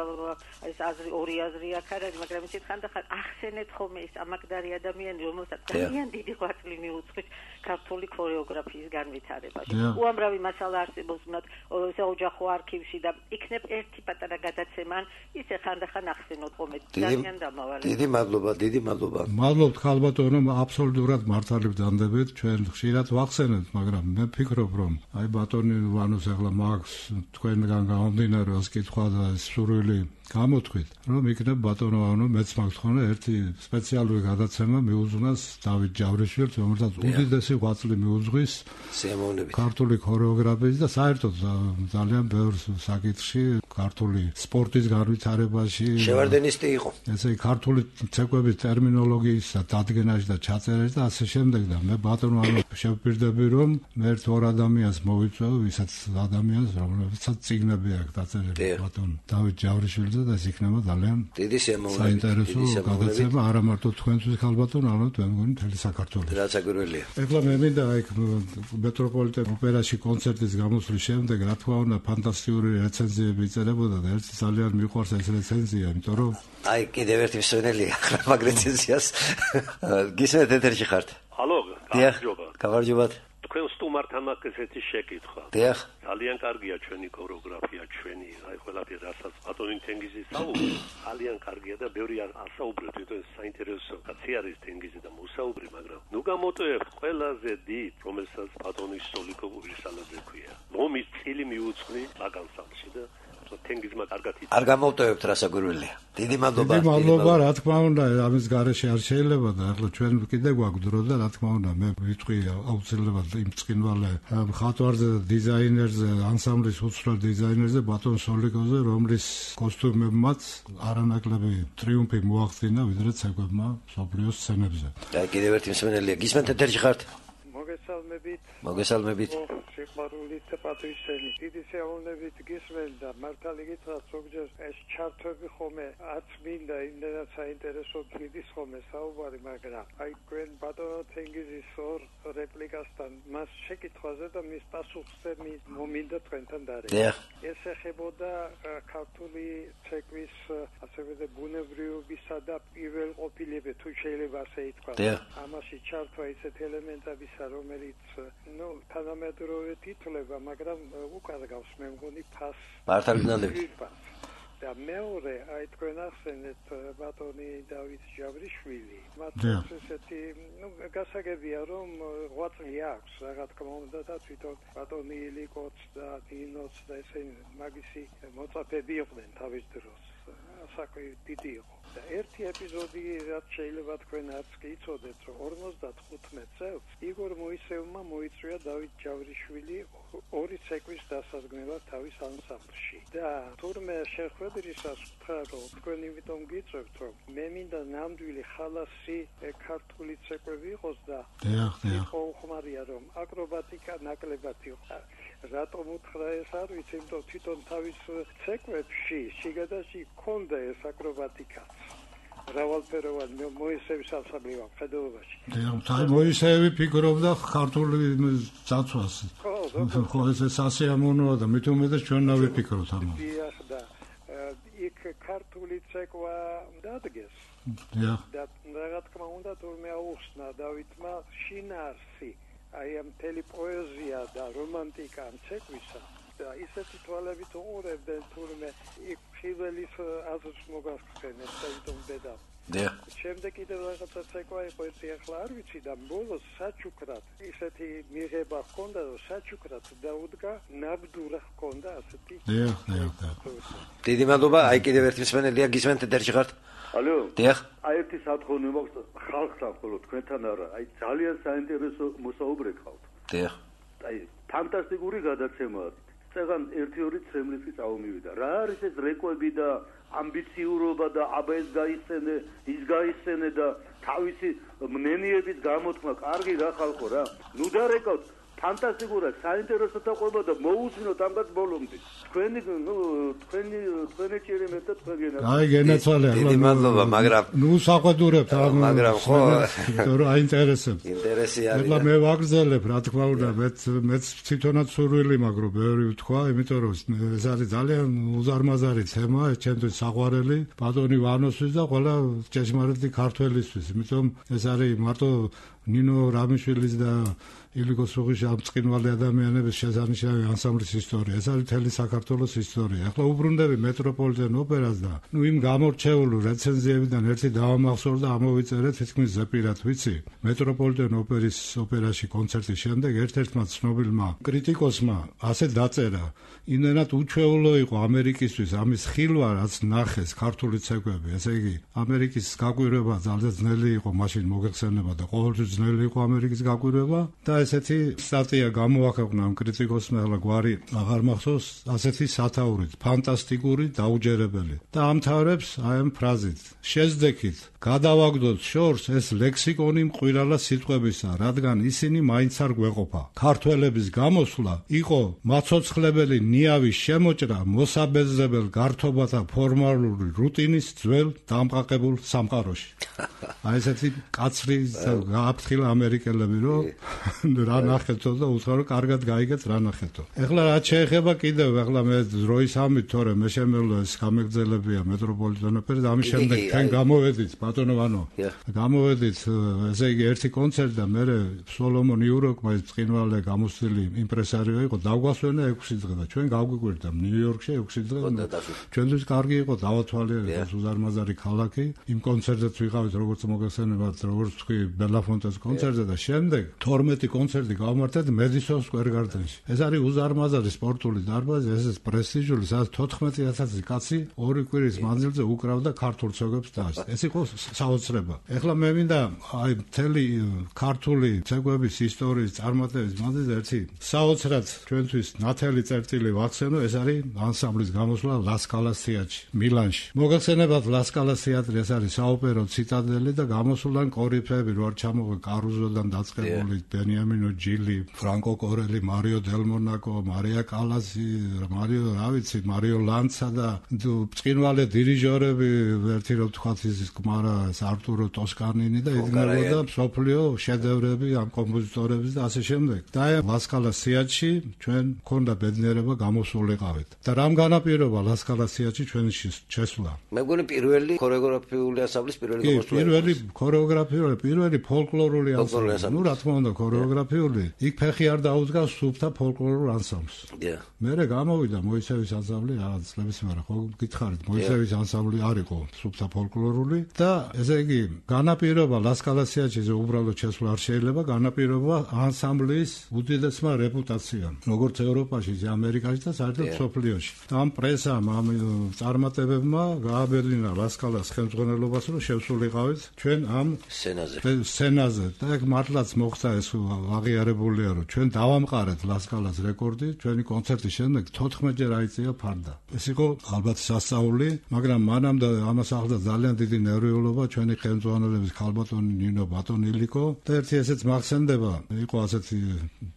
ეს აზრი ორი აზრი აქ არის, მაგრამ ისეთ ხანდახან ახსენეთ ხომ ეს ამაგდარი ადამიანი, რომელსაც ძალიან დიდი ღვაწლი მიუძღვის ქართული ქორეოგრაფიის განვითარებაში. უამრავი მასალა არსებობს მათ საოჯახო არქივში და იქნებ ერთი პატარა გადაცემა, ისე ხანდახან ახსენოთ ხოლმე ძალიან დამავალ. დიდი მადლობა, დიდი მადლობა. მადლობთ ხალბატონო, აბსოლუტურად მართალი ვდანდებით, ჩვენ ხშირად ვახსენებთ, მაგრამ მე ვფიქრობ, რომ აი ბატონი ვანოს ახლა მაგს თქვენგან გამომდინარე ეს კითხვა და სურვილი გამოთქვით, რომ იქნებ ბატონო ვანო მეც მაქვს ხოლმე ერთი სპეციალური გადაცემა მიუძღვნას დავით ჯავრიშვილს, რომელსაც უდიდესი ღვაწლი მიუძღვის სიამოვნებით ქართული ქორეოგრაფიის და საერთოდ ძალიან ბევრ საკითხში ქართული სპორტის განვითარებაში შევარდენისტი იყო. ესე ქართული ცეკვების ტერმინოლოგიის დადგენაში და ჩაწერაში და ასე შემდეგ და მე ბატონო ვანო შევპირდები, რომ მე ერთ ორ ადამიანს მოვიწვევ, ვისაც ადამიანს, რომელსაც წიგნები აქვს დაწერილი ბატონ დავით ჯავრიშვილს და ეს იქნება ძალიან დიდი სიამოვნებით. საინტერესო გადაცემა არა მარტო თქვენთვის ხალბატონო, არამედ მე მგონი მთელი საქართველოს. რაც აგვირველია. ეხლა მე მინდა იქ მეტროპოლიტენ ოპერაში კონცერტის გამოსვლის შემდეგ რა თქმა უნდა ფანტასტიკური რეცენზიები იწერებოდა და ერთი ძალიან მიყვარს ეს რეცენზია, იმიტომ რომ აი კიდევ ერთი მსვენელია ახლა მაგ რეცენზიას. გისმენთ ეთერში ხართ? ჰალო, გამარჯობა. გამარჯობათ. თქვენ სტუმართან მაქვს ესეთი შეკითხვა. დიახ. ძალიან კარგია ჩვენი ქორეოგრაფია, ჩვენი, აი ყველაფერი რასაც ბატონი თენგიზი საუბრობს, ძალიან კარგია და ბევრი ასაუბრებს, თვითონ საინტერესო კაცი არის თენგიზი და მოსაუბრი, მაგრამ ნუ გამოტოვებთ ყველაზე დიდ, რომელსაც ბატონის სოლიკოვური სალაძე ქვია. ლომის წილი მიუძღვნი მაგანსამში და თენგიზმა კარგად იცი. არ გამოვტოვებთ რასაგვირველია. დიდი მადლობა. დიდი მადლობა, რა თქმა უნდა, ამის გარეშე არ შეიძლება და ახლა ჩვენ კიდე გვაქვს დრო და რა თქმა უნდა, მე ვიტყვი აუცილებლად იმ წკინვალე მხატვარზე და დიზაინერზე, ანსამბლის უცვლელ დიზაინერზე ბატონ სოლიკოვზე, რომლის კოსტუმებმაც არანაკლები ტრიუმფი მოახდინა ვიდრე ცეკვებმა მსოფლიოს სცენებზე. და კიდევ ერთი მსმენელია. გისმენთ ეთერში ხართ? მოგესალმებით. მოგესალმებით. სიყვარულით და პატრიოტიზმით. დიდი სიამოვნებით გისმენ და მართალი გითხრათ, ზოგჯერ ეს ჩართვები ხომე არც მინდა იმდენად საინტერესო გიდის ხომე საუბარი, მაგრამ აი თქვენ ბატონო თენგიზის ორ რეპლიკასთან მას შეკითხვაზე და მის პასუხზე მომინდა თქვენთან დარეკა. ეს ეხებოდა ქართული ცეკვის ასევე ბუნებრივობისა და პირველყოფილება, თუ შეიძლება ასე ითქვას. ამაში ჩართვა ისეთ ელემენტებისა, რომელიც ნუ თანამედროვე თითლება, მაგრამ უკარგავს მე მგონი ფას. მართალი გნანდებით. და მეორე, აი თქვენ ახსენეთ ბატონი დავით ჯავრიშვილი. მათ ესეთი, ნუ გასაგებია, რომ ღვაწლი აქვს, რა თქმა უნდა და თვითონ ბატონი ილიკოც და დინოც და ესენი მაგისი მოწაფეები იყვნენ თავის დროს. საქმე დიდი იყო. და ერთი ეპიზოდი რაც შეიძლება თქვენ არც კი იცოდეთ, რომ ორმოცდათხუთმეტ წელს იგორ მოისევმა მოიწვია დავით ჯავრიშვილი ორი ცეკვის დასადგმელად თავის ანსამბლში. და თურმე შეხვედრისას ვთქვა, რომ თქვენ იმიტომ გიწევთ, რომ მე მინდა ნამდვილი ხალასი ქართული ცეკვები იყოს და იყო უხმარია, რომ აკრობატიკა ნაკლებად იყო. რატომ უთხრა ეს არ ვიცი, იმიტომ თვითონ თავის ცეკვებში შიგადაში ქონდა ეს აკრობატიკაც. რავალფეროვანი მოისევის ასაბლი ვხედობაში. და მოისევი ფიქრობდა ქართული წაცვას. ხო, ეს სასიამოვნოა და მით უმეტეს ჩვენ ნავიფიქროთ ამას. დიახ და იქ ქართული ცეკვა დადგეს. დიახ. და რა თქმა უნდა თურმე აუხსნა დავითმა შინაარსი, აი ამ მთელი პოეზია და რომანტიკა ამ ცეკვისა. და ისეთი თვალებით უყურებდნენ თურმე იქ ხიველის აზრს მოგახსენეს საერთოდ ბედა. დიახ. შემდეგ კიდევ რაღაცა ცეკვა იყო ერთი ახლა არ ვიცი და ბოლოს საჩუქრად ისეთი მიღება ჰქონდა, რომ საჩუქრად დაუდგა ნაბდურა ჰქონდა ასეთი. დიახ, დიახ. დიდი მადლობა, აი კიდევ ერთი მსმენელია, გისმენთ ეთერში ხართ? ალო. დიახ. აი ერთი სათხოვნე მაქვს ხალხთან, ხოლო თქვენთან არა, აი ძალიან საინტერესო მოსაუბრე გყავთ. დიახ. აი ფანტასტიკური გადაცემაა. წეგან ერთი ორი ცემლისი წავმივიდა. რა არის ეს რეკვები და ამბიციურობა და აბა ეს გაიხსენე, ის გაიხსენე და თავისი მნენიების გამოთქმა, კარგი რა ხალხო რა. ნუ დარეკავთ ფანტასტიკურად საინტერესო დაყვება და მოусმინოთ ამგად ბოლომდე. თქვენი ნუ თქვენი თქვენი ჭირიმეთ და თქვენ გენაცვალე. აი გენაცვალე ახლა. დიდი მადლობა, მაგრამ ნუ საყვედურებთ ამ მაგრამ ხო რომ აინტერესებს. ინტერესი არის. ახლა მე ვაგრძელებ, რა თქმა უნდა, მეც მეც თვითონაც სურვილი მაქვს რომ ბევრი ვთქვა, იმიტომ რომ ეს არის ძალიან უზარმაზარი თემა, ჩემთვის საყვარელი ბატონი ვანოსთვის და ყველა ჭეშმარიტი ქართველისთვის, იმიტომ ეს არის მარტო ნინო რამიშვილის და ილიკო სუღიშის ამ წყინვალე ადამიანების შესანიშნავი ანსამბლის ისტორია. ეს არის მთელი საქართველოს ისტორია. ახლა უბრუნდები მეტროპოლიტენ ოპერას და ნუ იმ გამორჩეული რეცენზიებიდან ერთი დავამახსოვრ და ამოვიწერეთ თითქმის ზეპირად, ვიცი. მეტროპოლიტენ ოპერის ოპერაში კონცერტის შემდეგ ერთ-ერთმა ცნობილმა კრიტიკოსმა ასე დაწერა: იმენად უჩვეულო იყო ამერიკისთვის ამის ხილვა, რაც ნახეს ქართული ცეკვები. ესე იგი, ამერიკის გაკვირვება ძალიან ძნელი იყო მაშინ მოგეხსენება და ყოველთვის ძნელი იყო ამერიკის გაკვირვება და ესეთი სტატია გამოაქვეყნა ამ კრიტიკოსმა, ახლა გვარი აღარ მახსოვს, ასეთი სათაურით, ფანტასტიკური, დაუჯერებელი. და ამთავრებს აი ამ ფრაზით: შეძდექით, გადავაგდოთ შორს ეს ლექსიკონი მყვილალა სიტყვებისა, რადგან ისინი მაინც არ გვეყოფა. ქართველების გამოსვლა იყო მაცოცხლებელი ნიავის შემოჭრა მოსაბეზრებელ გართობათა ფორმალური რუტინის ძველ დამყაყებულ სამყაროში. აი ესეთი კაცრი გააფრთხილა ამერიკელები, რომ რა ნახეთო და უთხრა რომ კარგად გაიგეთ რა ნახეთო. ეხლა რაც შეეხება კიდევ, ეხლა მე დროის ამით, თორე მე შემეძლო ეს გამეგრძელებია მეტროპოლიტენ ოპერა და ამის შემდეგ თქვენ გამოვედით ბატონო ვანო. გამოვედით, ესე იგი ერთი კონცერტი და მე სოლომონ იუროკმა წინვალე გამოსული იმპრესარიო იყო, დაგვასვენა ექვსი დღე და ჩვენ გავგვიკვირდა ნიუ-იორკში ექვსი დღე. ჩვენთვის კარგი იყო დავათვალიერეთ უზარმაზარი ქალაქი. იმ კონცერტზეც ვიყავით როგორც მოგეხსენებათ, როგორც თქვი ბელაფონტეს კონცერტზე და შემდეგ თორმეტი კონცერტი გავმართეთ მედისონ სკვერ გარდენში. ეს არის უზარმაზარი სპორტული დარბაზი, ეს პრესტიჟული, სადაც თოთხმეტი ათასი კაცი ორი კვირის მანძილზე უკრავდა ქართულ ცეკვებს და ეს იყო საოცრება. ეხლა მე მინდა აი მთელი ქართული ცეკვების ისტორიის წარმატების მანძილზე ერთი საოცრად ჩვენთვის ნათელი წერტილი ვახსენო, ეს არის ანსამბლის გამოსვლა ლასკალას თეატრში, მილანში. მოგეხსენებათ ლასკალას თეატრი, ეს არის საოპერო ციტადელი და გამოსვლიდან კორიფეები რო არ ჩამოღე კარუზოდან დაწყებული ბენიამინო ჯილი, ფრანკო კორელი, მარიო დელმონაკო, მარია კალასი, მარიო რა ვიცი, მარიო ლანცა და წინვალე დირიჟორები, ერთი რო თქვათ ის კმარა არტურო ტოსკანინი და იდგმებოდა მსოფლიო შედევრები ამ კომპოზიტორების და ასე შემდეგ. და ლასკალას თეატრში ჩვენ მქონდა ბედნიერება გამოსულიყავით. და რამ განაპირობა ლასკალას თეატრში ჩვენი შესვლა? მე მგონი პირველი ქორეოგრაფიული ანსამბლის პირველი გამოსვლა. პირველი ქორეოგრაფიული, პირველი ფოლკლორული ანსამბლი. ნუ რა თქმა უნდა ქორეოგრაფიული, იქ ფეხი არ დაუდგას სუფთა ფოლკლორულ ანსამბლს. მერე გამოვიდა მოისევის ანსამბლი, რაღაც წლების მერე ხო გითხარით, მოისევის ანსამბლი არ იყო სუფთა ფოლკლორული და ესე იგი განაპირობა ლასკალას თეატრში უბრალოდ შესვლა არ შეიძლება, განაპირობა ანსამბლის უდიდესმა რეპუტაციამ, როგორც ევროპაში, ამერიკაში და საერთოდ მსოფლიოში. და ამ პრესამ, ამ წარმატებებმა გააბერლინა ლასკალას ხელმძღვანელობას, რომ შევსულიყავით ჩვენ ამ სცენაზე. სცენაზე და ეგ მართლაც მოხდა ეს აღიარებულია, რომ ჩვენ დავამყარეთ ლასკალას რეკორდი, ჩვენი კონცერტის შემდეგ თოთხმეტჯერ აიწია ფარდა. ეს იყო ალბათ სასწაული, მაგრამ მანამდე ამას ახლდა ძალიან დიდი ნერვიულობა ჩვენი ხელმძღვანელების ქალბატონი ნინო ბატონილიკო და ერთი ესეც მახსენდება, იყო ასეთი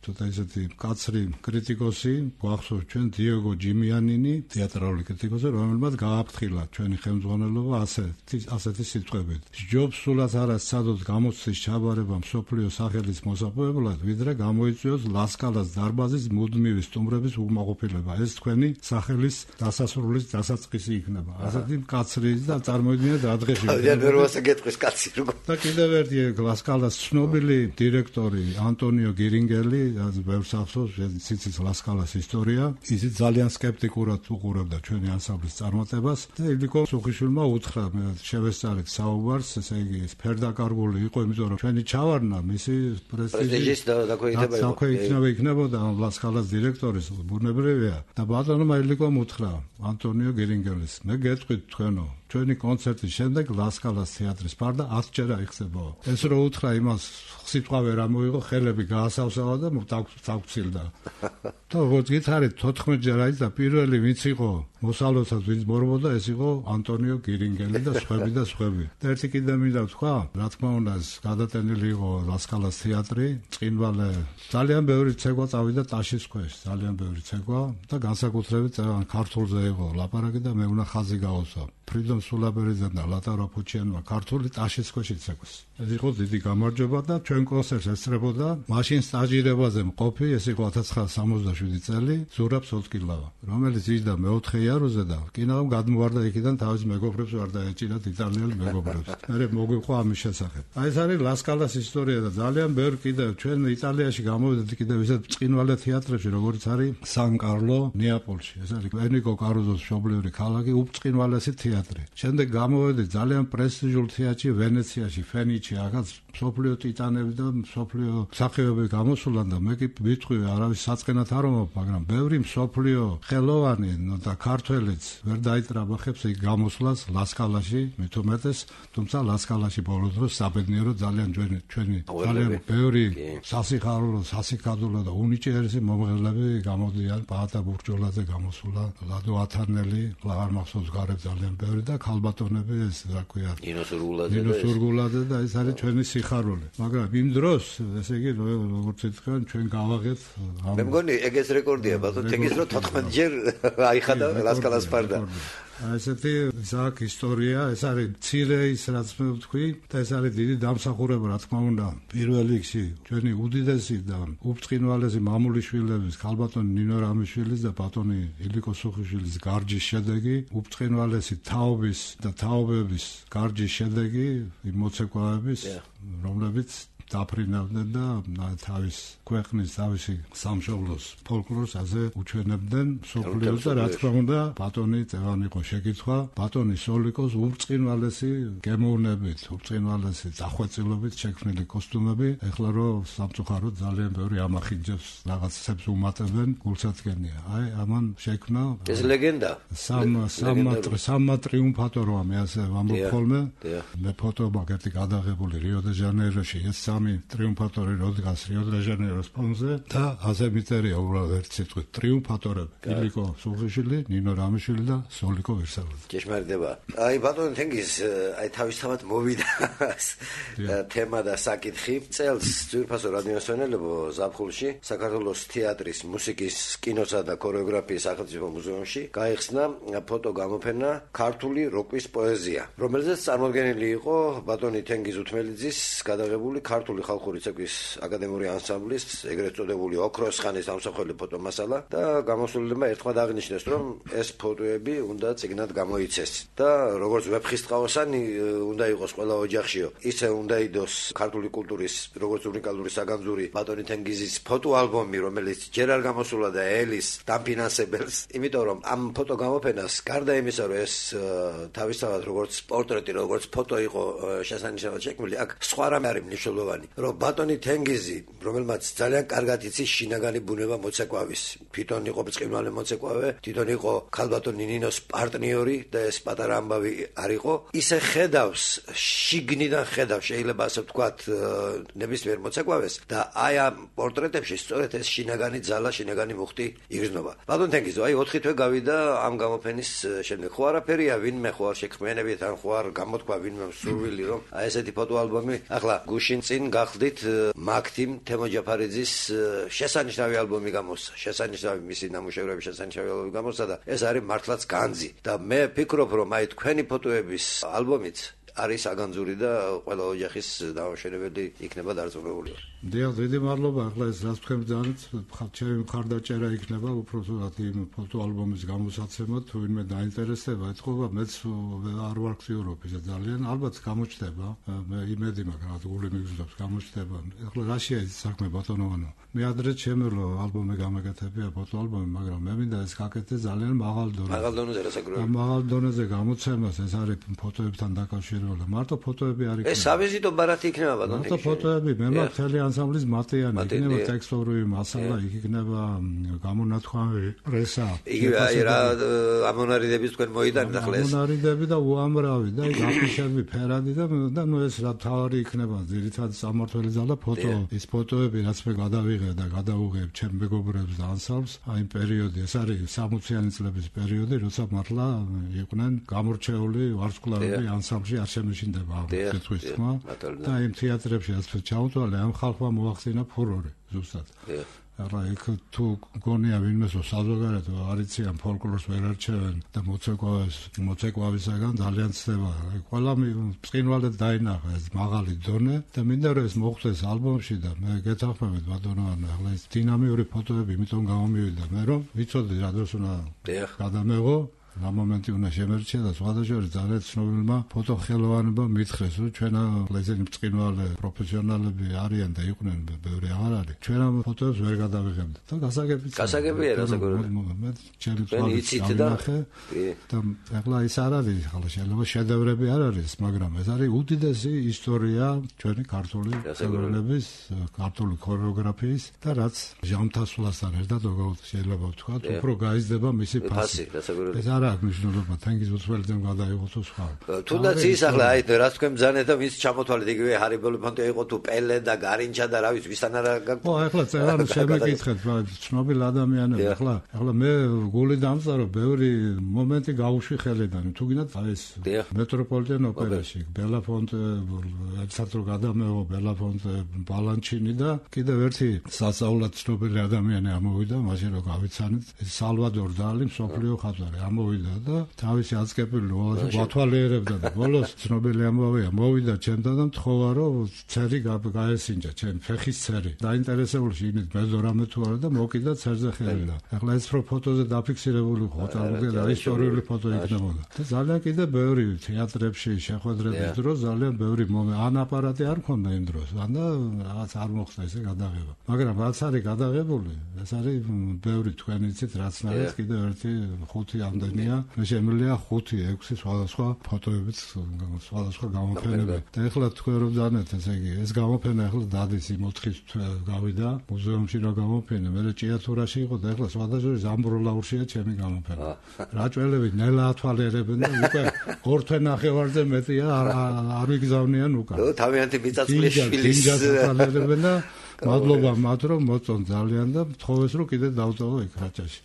ცოტა ესეთი კაცრი კრიტიკოსი, გვახსოვს ჩვენ დიეგო ჯიმიანინი, თეატრალური კრიტიკოსი, რომელმაც გააფრთხილა ჩვენი ხელმძღვანელობა ასეთი ასეთი სიტყვებით. ჯობს სულაც არა სცადოთ გამოცდის ჩაბარება მსოფლიო სახელის მოსაპოვებლად, ვიდრე გამოიწვიოს ლასკალას დარბაზის მუდმივი სტუმრების უკმაყოფილება. ეს თქვენი სახელის დასასრულის დასაწყისი იქნება. ასეთი კაცრი და წარმოიდგინეთ რა დღეში. ძალიან ვერვასა გეტყვის კაცი როგორ. და კიდევ ერთი ლასკალას ცნობილი დირექტორი ანტონიო გირინგელი, რაც ბევრს ახსოვს, ციცის ლასკალას ისტორია, ისიც ძალიან სკეპტიკურად უყურებდა ჩვენი ანსამბლის წარმატებას და ილიკო სუხიშვილმა უთხრა, მე შევესწარეთ საუბარს, ესე იგი ფერდაკარგული იყო, იმიტომ რომ ჩვენი ჩავარდნა მისი პრესტიჟის და დაქვეითნება იქნებოდა ლასკალას დირექტორის, ბუნებრივია. და ბატონმა ილიკომ უთხრა ანტონიო გირინგელის, მე გეტყვით თქვენო, ჩვენი კონცერტის შემდეგ ლასკალას თეატრის ფარდა ათჯერ აიხსებო. ეს რო უთხრა იმას სიტყვა ვერ ამოიღო, ხელები გაასავსავა და დაგვრცილდა. და როგორც გითხარით, თოთხმეტჯერ აიძა პირველი ვინც იყო მოსალოდსაც ვინც მორბოდა, ეს იყო ანტონიო გირინგელი და სხვები და სხვები. და ერთი კიდე მინდა ვთქვა, რა თქმა უნდა, გადატენილი იყო ლასკალას თეატრი, წინვალე ძალიან ბევრი ცეკვა წავიდა ტაშის ქვეშ, ძალიან ბევრი ცეკვა და განსაკუთრებით ქართულზე იყო ლაპარაკი და მე უნდა ხაზი გაუსვა. ფრიდონ სულაბერიძემ და ლატარო ფუჩიანმა ქართული ტაშის ქვეშ იცეკვეს. ეს იყო დიდი გამარჯვება და ჩვენ კონცერტს ესწრებოდა მაშინ სტაჟირებაზე მყოფი, ეს იყო ათას ცხრაასი სამოცდაშვიდი წელი, ზურაბ სოლტკილავა, რომელიც იჯდა მეოთხე იაროზე და კინავამ გადმოვარდა იქიდან თავის მეგობრებს ვარ დაეჭირათ იტალიელ მეგობრებს. მე მოგვიყვა ამის შესახებ. აი ეს არის ლასკალას ისტორია და ძალიან ბევრი კიდევ ჩვენ იტალიაში გამოვიდეთ კიდევ ისეთ ბრწყინვალე თეატრებში, როგორც არის სან კარლო ნეაპოლში. ეს არის ენიკო კარუზოს მშობლიური ქალაქი, უბრწყინვალესი თეატრი. შემდეგ გამოვედი ძალიან პრესტიჟულ თეატრში ვენეციაში, ფენიჩი, აქაც მსოფლიო ტიტანები და მსოფლიო მსახიობები გამოსულან და მე კი ვიტყვი არავის საწყენად არ ვამბობ, მაგრამ ბევრი მსოფლიო ხელოვანი და ქართველიც ვერ დაიტრაბახებს იქ გამოსვლას ლასკალაში, მით უმეტეს, თუმცა ლასკალაში ბოლო დროს საბედნიერო ძალიან ჩვენი ჩვენი ძალიან ბევრი სასიხარულო, სასიკადულო და უნიჭიერესი მომღერლები გამოდიან, პაატა ბურჯოლაძე გამოსულა, ლადო ათანელი, ლაღარ მახსოვს გარეთ ძალიან ბევრი და ქალბატონები ეს რა ქვია, ნინო სურგულაძე ნინო სურგულაძე და ეს არის ჩვენი სიხარული. მაგრამ იმ დროს, ესე იგი, როგორც ითქვენ, ჩვენ გავაღეთ. მე მგონი ეგეც რეკორდია, ბატონო, ეგეც რო თოთხმეტჯერ აიხადა ლასკალას ფარდა. ესეთი ზაკ ისტორია, ეს არის მცირე ის რაც მე ვთქვი და ეს არის დიდი დამსახურება, რა თქმა უნდა, პირველ რიგში ჩვენი უდიდესი და უბრწყინვალესი მამულიშვილების, ქალბატონი ნინო რამიშვილის და ბატონი ილიკო სუხიშვილის გარჯის შედეგი, უბრწყინვალესი თაობის და თაობების გარჯის შედეგი, იმ მოცეკვავების, რომლებიც დაფრინავდნენ და თავის ქვეყნის თავისი სამშობლოს ფოლკლორს ასე უჩვენებდნენ მსოფლიოს და რა თქმა უნდა ბატონი წევანი იყო შეკითხვა ბატონი სოლიკოს უბრწყინვალესი გემოვნებით, უბრწყინვალესი დახვეწილობით შექმნილი კოსტუმები, ეხლა რო სამწუხაროდ ძალიან ბევრი ამახინჯებს რაღაცებს უმატებენ, გულსაცგენია. აი ამან შექმნა ეს ლეგენდა. სამ სამმატრი სამმატრიუმფატორო მე ასე ვამბობ ხოლმე. მე ფოტო მაგეთი გადაღებული რიო დე ჟანეიროში ეს ტრიუმფატორი როდგას რიო დე ჟანეიროს ფონზე და ასე მიწერია უბრალოდ ერთ სიტყვით ტრიუმფატორები. ილიკო სუხიშვილი, ნინო რამიშვილი და სოლიკო ვერსალიძე. ჭეშმარიტება. აი ბატონო თენგიზ, აი თავისთავად მოვიდა თემა და საკითხი. წელს ძვირფასო რადიოსვენელებო ზაფხულში საქართველოს თეატრის, მუსიკის, კინოსა და ქორეოგრაფიის სახელმწიფო მუზეუმში გაიხსნა ფოტო გამოფენა ქართული როკის პოეზია, რომელზეც წარმოდგენილი იყო ბატონი თენგიზ უთმელიძის გადაღებული ქართული ხალხური ცეკვის აკადემიური ანსამბლის, ეგრეთ წოდებული ოქროს ხანის ამსახველი ფოტომასალა და გამოსულილებმა ერთხმად აღნიშნეს, რომ ეს ფოტოები უნდა წიგნად გამოიცეს და როგორც ვეფხისტყაოსანი უნდა იყოს ყველა ოჯახშიო, ისე უნდა იდოს ქართული კულტურის როგორც უნიკალური საგანძური ბატონი თენგიზის ფოტოალბომი, რომელიც ჯერ არ გამოსულა და ელის დამფინანსებელს, იმიტომ რომ ამ ფოტო გამოფენას გარდა იმისა, რომ ეს თავისთავად როგორც პორტრეტი, როგორც ფოტო იყო შესანიშნავად შექმნილი, აქ სხვა რამე არის მნიშვნელოვანი, რომ ბატონი თენგიზი, რომელმაც ძალიან კარგად იცის შინაგანი ბუნება მოცეკვავის, თვითონ იყო ბრწყინვალე მოცეკვავე, თვითონ იყო ქალბატონი ნინოს პარტნიორი და ეს პატარა ამბავი არ იყო, ისე ხედავს, შიგნიდან ხედავს, შეიძლება ასე ვთქვათ, ნებისმიერ მოცეკვავეს და აი ამ პორტრეტებში სწორედ ეს შინაგანი ძალა, შინაგანი მუხტი იგრძნობა. ბატონი თენგიზო, აი ოთხი თვე გავიდა ამ გამოფენის შემდეგ. ხო არაფერია, ვინმე ხო არ შექმნენებით, ან ხო არ გამოთქვა ვინმე სურვილი, რომ აი ესეთი ფოტოალბომი ახლა გუშინ წინ გახდით მაქთიმ თემო ჯაფარიძის შესანიშნავი ალბომი გამოსცა, შესანიშნავი მისი ნამუშევრების შესანიშნავი ალბომი გამოსცა და ეს არის მართლაც განძი და მე ვფიქრობ, რომ აი თქვენი ფოტოების ალბომიც არის აგანძური და ყველა ოჯახის დამშვენებელი იქნება დარწმუნებული. დიახ, დიდი მადლობა. ახლა ეს რაც თქვენ ძანეთ, ჩემი მხარდაჭერა იქნება უბრალოდ იმ ფოტოალბომის გამოსაცემად, თუ ვინმე დაინტერესდება, ეთქობა, მეც არ ვარ აქტიურობ ისე ძალიან, ალბათ გამოჩნდება. მე იმედი მაქვს, რა გული მიგზნობს, გამოჩნდება. ახლა რაშია ეს საქმე ბატონოვანო? მე ადრე ჩემელო ალბომი გამეკეთებია ფოტოალბომი, მაგრამ მე მინდა ეს გაკეთე ძალიან მაღალ დონეზე. მაღალ დონეზე რასაკურველი? მაღალ დონეზე გამოცემას, ეს არის ფოტოებთან დაკავშირებული. მარტო ფოტოები არ იქნება. ეს სავიზიტო ბარათი იქნება ბატონო. მარტო ფოტოები, მე მაქვს მთელი ანსამბლის მატიანი, იქნება ტექსტური მასალა, იქ იქნება გამონათქვამი პრესა. იგივე აი რა ამონარიდების თქვენ მოიტანეთ ახლა ეს. ამონარიდები და უამრავი და იქ აფიშები ფერადი და და ნუ ეს რა თავი იქნება ძირითადად სამმართველი ზალა ფოტო ის ფოტოები რაც მე გადავიღე და გადავუღებ ჩემ მეგობრებს და ანსამბლს აი პერიოდი ეს არის სამოციანი წლების პერიოდი როცა მართლა იყვნენ გამორჩეული ვარსკვლავები ანსამბლში არ შემეშინდება სიტყვის თქმა და იმ თეატრებში რაც ჩაუთვალე ამ ხალხმა მოახდინა ფურორი ზუსტად არა იქ თუ გონია ვინმეს რომ საზოგადოებრივ არიციან ფოლკლორს ვერ არჩევენ და მოცეკვავის მოცეკვავისაგან ძალიან ცდება ყველა ბრწყინვალედ დაინახა ეს მაღალი დონე და მინდა რომ ეს მოხდეს ალბომში და მე გეთანხმებით ბატონო ახლა ეს დინამიური ფოტოები იმიტომ გამომივიდა მე რომ ვიცოდი რა დროს უნდა გადამეღო რა მომენტი უნდა შემერჩია და სხვადასხვა ძალიან ცნობილმა ფოტოხელოვანებმა მითხრეს რომ ჩვენა ესენი ბრწყინვალე პროფესიონალები არიან და იყვნენ ბევრი აღარ არის ჩვენ ამ ფოტოებს ვერ გადავიღებთ და გასაგებია გასაგებია გასაგებია მე ჩემი თვალით დავინახე და ახლა ის არ არის ახლა შეიძლება შედევრები არ არის მაგრამ ეს არის უდიდესი ისტორია ჩვენი ქართული ხელოვნების ქართული ქორეოგრაფიის და რაც ჟამთასვლასთან ერთად როგორ შეიძლება ვთქვათ უფრო გაიზრდება მისი ფასი ეს არა აქ მნიშვნელობა თანგის უცხოელთან გადაიღოს სხვა. თუნდაც ის ახლა აი რა თქვენ ბძანეთ და ვის ჩამოთვალეთ იგივე ჰარი ბელოფანტე იყო თუ პელე და გარინჩა და რა ვიცი ვისთან არა ო ახლა წერან შემეკითხეთ ცნობილ ადამიანები ახლა ახლა მე გული დამწარო ბევრი მომენტი გავუშვი ხელიდან თუ გინდათ აი ეს მეტროპოლიტენ ოპერაში ბელაფონტე ერთად რო გადამეღო ბელაფონტე ბალანჩინი და კიდევ ერთი სასწაულად ცნობილი ადამიანი ამოვიდა მაშინ რო გავიცანეთ სალვადორ დალი მსოფლიო ხატვარი ამოვიდა და თავისი აწკეპილი ვათვალიერებდა და ბოლოს ცნობილი ამბავია მოვიდა ჩემთან და მთხოვა რომ ცერი გაესინჯა ჩემ ფეხის ცერი დაინტერესებული იმით მეზო რამე თუ არა და მოკიდა ცერზე ხელი და ახლა ეს რო ფოტოზე დაფიქსირებული ხოთალუგე და ისტორიული ფოტო იქნებოდა და ძალიან კიდე ბევრი თეატრებში შეხვედრების დროს ძალიან ბევრი ან აპარატი არ მქონდა იმ დროს ან და რაღაც არ მოხდა ესე გადაღება მაგრამ რაც არის გადაღებული ეს არის ბევრი თქვენ იცით რაც არის კიდე ერთი ხუთი ამდენია მე შემიძლია ხუთი ექვსი სხვადასხვა ფოტოებით სხვადასხვა გამოფენები და ეხლა თქვენ რომ დანეთ ესე იგი ეს გამოფენა ეხლა დადის იმ ოთხის გავიდა მუზეუმში რა გამოფენა მე ჭიათურაში იყო და ეხლა სხვადასხვა ზამბროლაურშია ჩემი გამოფენა რაჭველები ნელა ათვალიერებენ და უკვე ორ თვე ნახევარზე მეტია არ ვიგზავნიან უკან თავიანთი მიწაწვლის შვილის ათვალიერებენ და მადლობა მათ რომ მოწონ ძალიან და მთხოვეს რომ კიდე დავწოვო იქ რაჭაში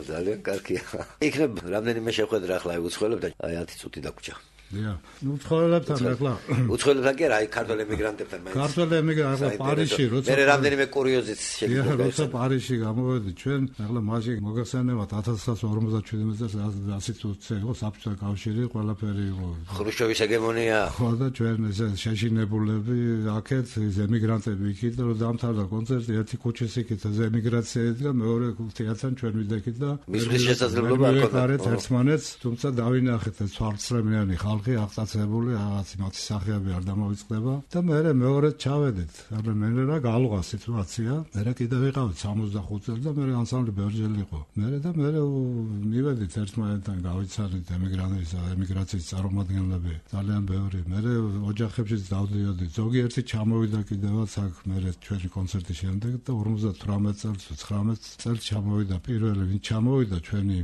ძალიან კარგია. იქნებ რამდენიმე შეხვედრა ახლა უცხოელებთან აი ათი წუთი დაგვრჩა. დიახ. ნუ უცხოელებთან ახლა უცხოელებთან კი არა, აი ქართველ ემიგრანტებთან მაინც. ქართველ ემიგრანტებთან ახლა პარიზში როცა მე რამდენიმე კურიოზიც შეგვიძლია. დიახ, როცა პარიზში გამოვედი ჩვენ ახლა მაშინ მოგახსენებათ ათას ცხრაასი ორმოცდაშვიდი წელს ასი წუთზე იყო საბჭოთა კავშირი, ყველაფერი იყო. ხრუშჩოვის ეგემონია. ხო და ჩვენ ესე შეშინებულები აქეთ ეს ემიგრანტები იქით და რომ დამთავრდა კონცერტი ერთი ქუჩის იქით ეს ემიგრაცია და მეორე თეატრთან ჩვენ ვიდექით და მისთვის შესაძლებლობა აქვს ერთმანეთს თუმცა დავინახეთ ეს ცვალცრემლიანი ხალხი აღწაცებული რაღაც იმათი სახეები არ დამოვიწყდება და მე მეორედ ჩავედით ანუ მე რა გაალღა სიტუაცია მე კიდე ვიყავით სამოცდახუთ წელი და მე ანსამბლი ბევრჯერ იყო მე და მე მივედით ერთმანეთთან გავიცანით ემიგრანტების ემიგრაციის წარმომადგენლები ძალიან ბევრი მე ოჯახებშიც დავდიოდი ზოგიერთი ჩამოვიდა კიდევაც აქ მე ჩვენი კონცერტის შემდეგ და ორმოცდათვრამეტ წელს ცხრამეტ წელს ჩამოვიდა პირველი ვინ ჩამოვიდა ჩვენი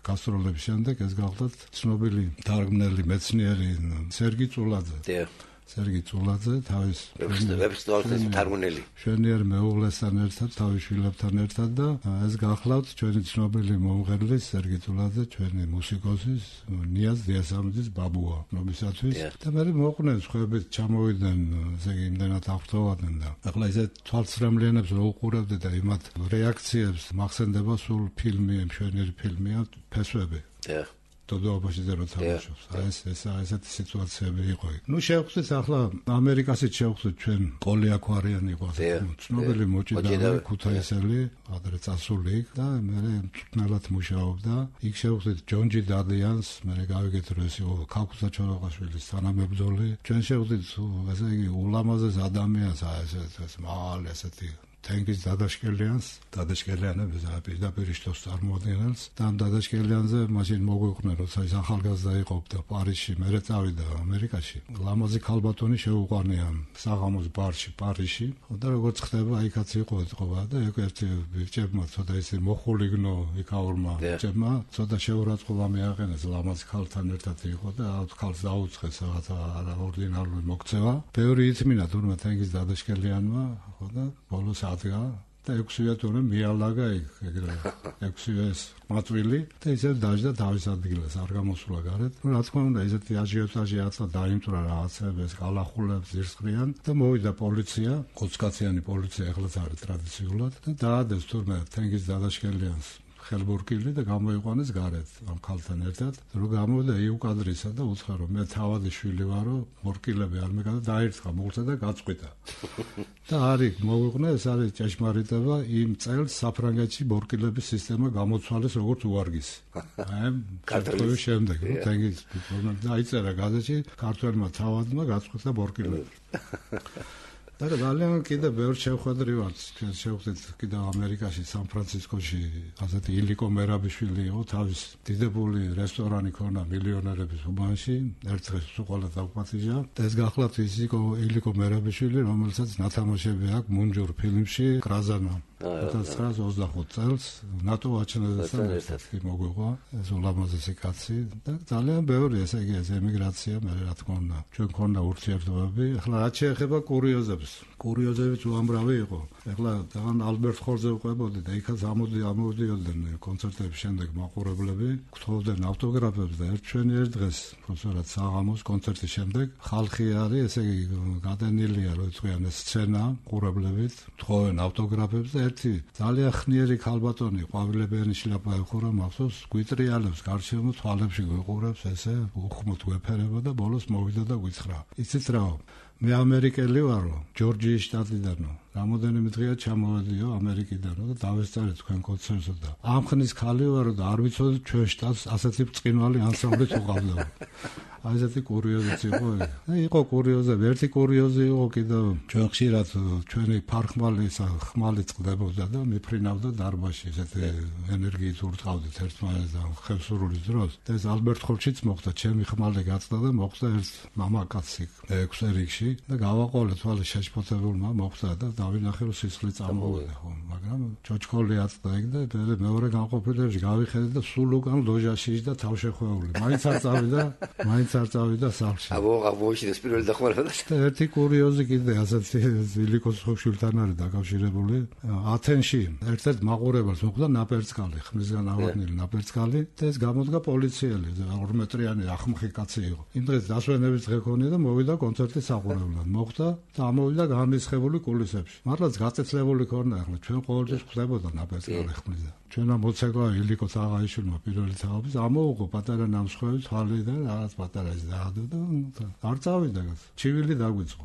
გასტროლების შემდეგ ეს გახლდათ ცნობილი თარგმნელი მეცნიერი სერგი წულაძე. დიახ. სერგი წულაძე თავის ვებსტეის თარგმნელი. შვენიერ მეუღლესთან ერთად, თავის შვილებთან ერთად და ეს გახლავთ ჩვენი ცნობილი მომღერლის სერგი წულაძე, ჩვენი მუსიკოსის ნიაზ დიასამიძის ბაბუა ნობისათვის და მე მოყვნენ სხვაებით ჩამოვიდნენ ესე იგი იმდენად აღფრთოვადნენ და ახლა ესე თვალცრემლიანებს რო უყურებდი და იმათ რეაქციებს მახსენდება სულ ფილმი, მშვენიერი ფილმია ფესვები. დიახ. დოდოობაში ზე რო თამაშობს. აი ეს ეს ესეთი სიტუაციები იყო. ნუ შევხვდით ახლა ამერიკასაც შევხვდით ჩვენ ყოლი აქვარიანი იყო. ცნობილი მოჭიდავე ქუთაისელი, ადრე წასული იქ და მე მწვნელად მუშაობდა. იქ შევხვდით ჯონჯი დადიანს, მე გავიგეთ რომ ეს იყო ქაქუცა ჩოლოყაშვილის თანამებრძოლი. ჩვენ შევხვდით ესე იგი ულამაზეს ადამიანს, აი ეს ეს მაღალი ესეთი თენგის დადაშკელიანს, დადაშკელიანებს პირდაპირ შტოს წარმოადგენელს და ამ დადაშკელიანზე მაშინ მოგვიყვნენ, როცა ის ახალგაზრდა იყო და პარიზში მერე წავიდა ამერიკაში. ლამაზი ქალბატონი შეუყვანია საღამოს ბარში პარიზში და როგორც ხდება იქაც იყო ეთყობა და ერთი ბიჭებმა ცოტა ისე მოხულიგნო იქაურმა ბიჭებმა ცოტა შეურაცხყოფა მიაყენეს ლამაზ ქალთან ერთად იყო და აუთ ქალს დაუწყეს რაღაცა არაორდინარული მოქცევა. ბევრი ითმინა თურმე თენგის დადაშკელიანმა ხო და ბოლოს ადგა და ექვსივე თურმე მიალაგა იქ ეგრე ექვსივეს მაწვილი და ისე დაждდა თავის ადგილას არ გამოსულა გარეთ. რა თქმა უნდა ესეთი აჟიოტაჟი აწყდა დაიმტვრა რაღაცებს გალახულებს ზირსყრიან და მოვიდა პოლიცია ოცკაციანი პოლიცია ეხლაც არის ტრადიციულად და დაადეს თურმე თენგის დადაშკელიანს ხელბურკილი და გამოიყვანეს გარეთ ამ ქალთან ერთად რომ გამოვიდა იუკადრისა და უცხო რომ მე თავადი შვილი ვარო მორკილები არ მეკადა დაერთხა მოგცა და გაწყვიტა და არის მოვიყვნა ეს არის ჭეშმარიტება იმ წელს საფრანგეთში მორკილების სისტემა გამოცვალეს როგორც უარგისი აი ქართლის შემდეგ რომ თენგის დაიწერა გაზეთში ქართველმა თავადმა გაწყვიტა მორკილები და ძალიან კიდე ბევრ შეხვედრივად შევხვდით კიდე ამერიკაში სან-ფრანცისკოში ასეთი ილიკო მერაბიშვილი იყო თავის დიდებული რესტორანი ქონა მილიონერების უბანში ერთ დღეს უყოლა დაგპატიჟა და ეს გახლავთ ის იყო ილიკო მერაბიშვილი რომელსაც ნათამაშები აქვს მუნჯურ ფილმში კრაზანა ათას ცხრაას ოცდახუთ წელს ნატო აჩენებასთან ერთად მოგვიყვა ეს ულამაზესი კაცი და ძალიან ბევრი ესე იგი ეს ემიგრაცია მე რა თქმა უნდა ჩვენ ქონდა ურთიერთობები ახლა რაც შეეხება კურიოზებს კურიოზებიც უამრავი იყო ახლა თან ალბერტ ხორზე ვყვებოდი და იქაც ამოდი ამოდიოდნენ კონცერტების შემდეგ მაყურებლები გთხოვდნენ ავტოგრაფებს და ერთ ჩვენი ერთ დღეს პროფესორად საღამოს კონცერტის შემდეგ ხალხი არის ესე იგი გადანილია რომ იწვიან ეს სცენა ყურებლებით გთხოვენ ავტოგრაფებს და ერთი ძალიან ხნიერი ქალბატონი ყვავილებიანი შლაპა ეხურა მახსოვს გვიტრიალებს გარშემო თვალებში გვიყურებს ესე უხმოდ გვეფერება და ბოლოს მოვიდა და გვიცხრა იცით რა მე ამერიკელი ვარო ჯორჯიის შტატიდანო რამოდენიმე დღეა ჩამოვედიო ამერიკიდანო და დავესწარე თქვენ კონცერტზე და ამ ხნის ხალი ვარო და არ ვიცოდი ჩვენ შტატს ასეთი ბრწყინვალე ანსამბლით უყავდა აი ესეთი კურიოზიც იყო და იყო კურიოზები ერთი კურიოზი იყო კიდევ ჩვენ ხშირად ჩვენი ფარხმალი ხმალი წყდებოდა და მიფრინავდა დარბაზში ესეთი ენერგიით ურტყავდით ერთმანეთს და ხევსურულის დროს და ეს ალბერტ ხორჩიც მოხდა ჩემი ხმალი გაწდა და მოხდა ერთ მამაკაცი ექვსე რიგში და გავაყოლე თვალე შეშფოთებულმა მოხდა და დავინახე რომ სისხლი წამოვიდა ხო მაგრამ ჩოჩქოლი აწდა იქ და მეორე განყოფილებში გავიხედე და სულ უკან ლოჟაში და თავშეხვეული მაინც არ წავიდა მაინც არ წავიდა სახლში აბო აღმოჩნდეს პირველი დახმარება და ერთი კურიოზი კიდე ასეთი ილიკოს ხოშულთან არის დაკავშირებული ათენში ერთ-ერთ მაყურებელს მოხდა ნაპერწკალი ხმისგან ავადნილი ნაპერწკალი და ეს გამოდგა პოლიციელი ორ მეტრიანი ახმხი კაცი იყო იმ დღეს დასვენების დღე ქონია და მოვიდა კონცერტის საყურებლად მოხდა და ამოვიდა განრისხებული კულისებში მართლაც გაწეცლებული ქონდა ახლა ჩვენ ყოველთვის ხდებოდა ნაპერწკალი ხმისა ჩვენა მოცეკვა ილიკოს აღაიშვილმა პირველი თაობის ამოუღო პატარა ნამსხვრევი თვალი და რაღაც პატარა ის დაადო და არ წავიდა ჩივილი დაგვიწყო